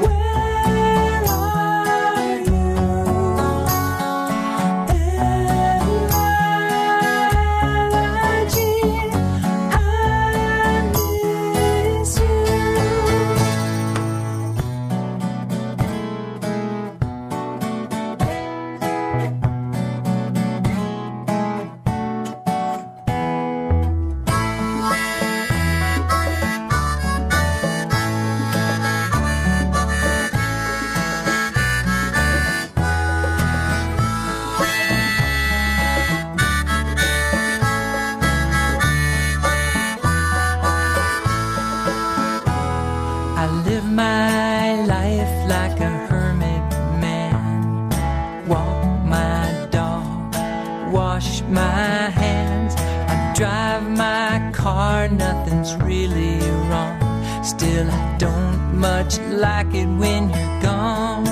where are you? Energy, I miss you. I live my life like a hermit man. Walk my dog, wash my hands. I drive my car, nothing's really wrong. Still I don't much like it when you're gone.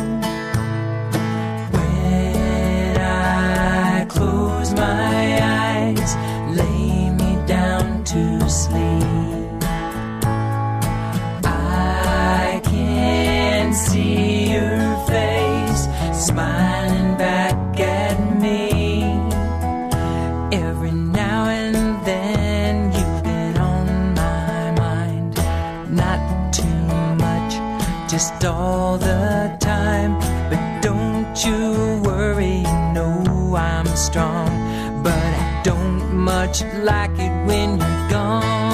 When I close my eyes, lay me down to sleep, I can see your face smiling back at me. Every now and then you've been on my mind. Not too much, just all the time. But don't you worry, you know I'm strong. But I don't much like it when you're gone.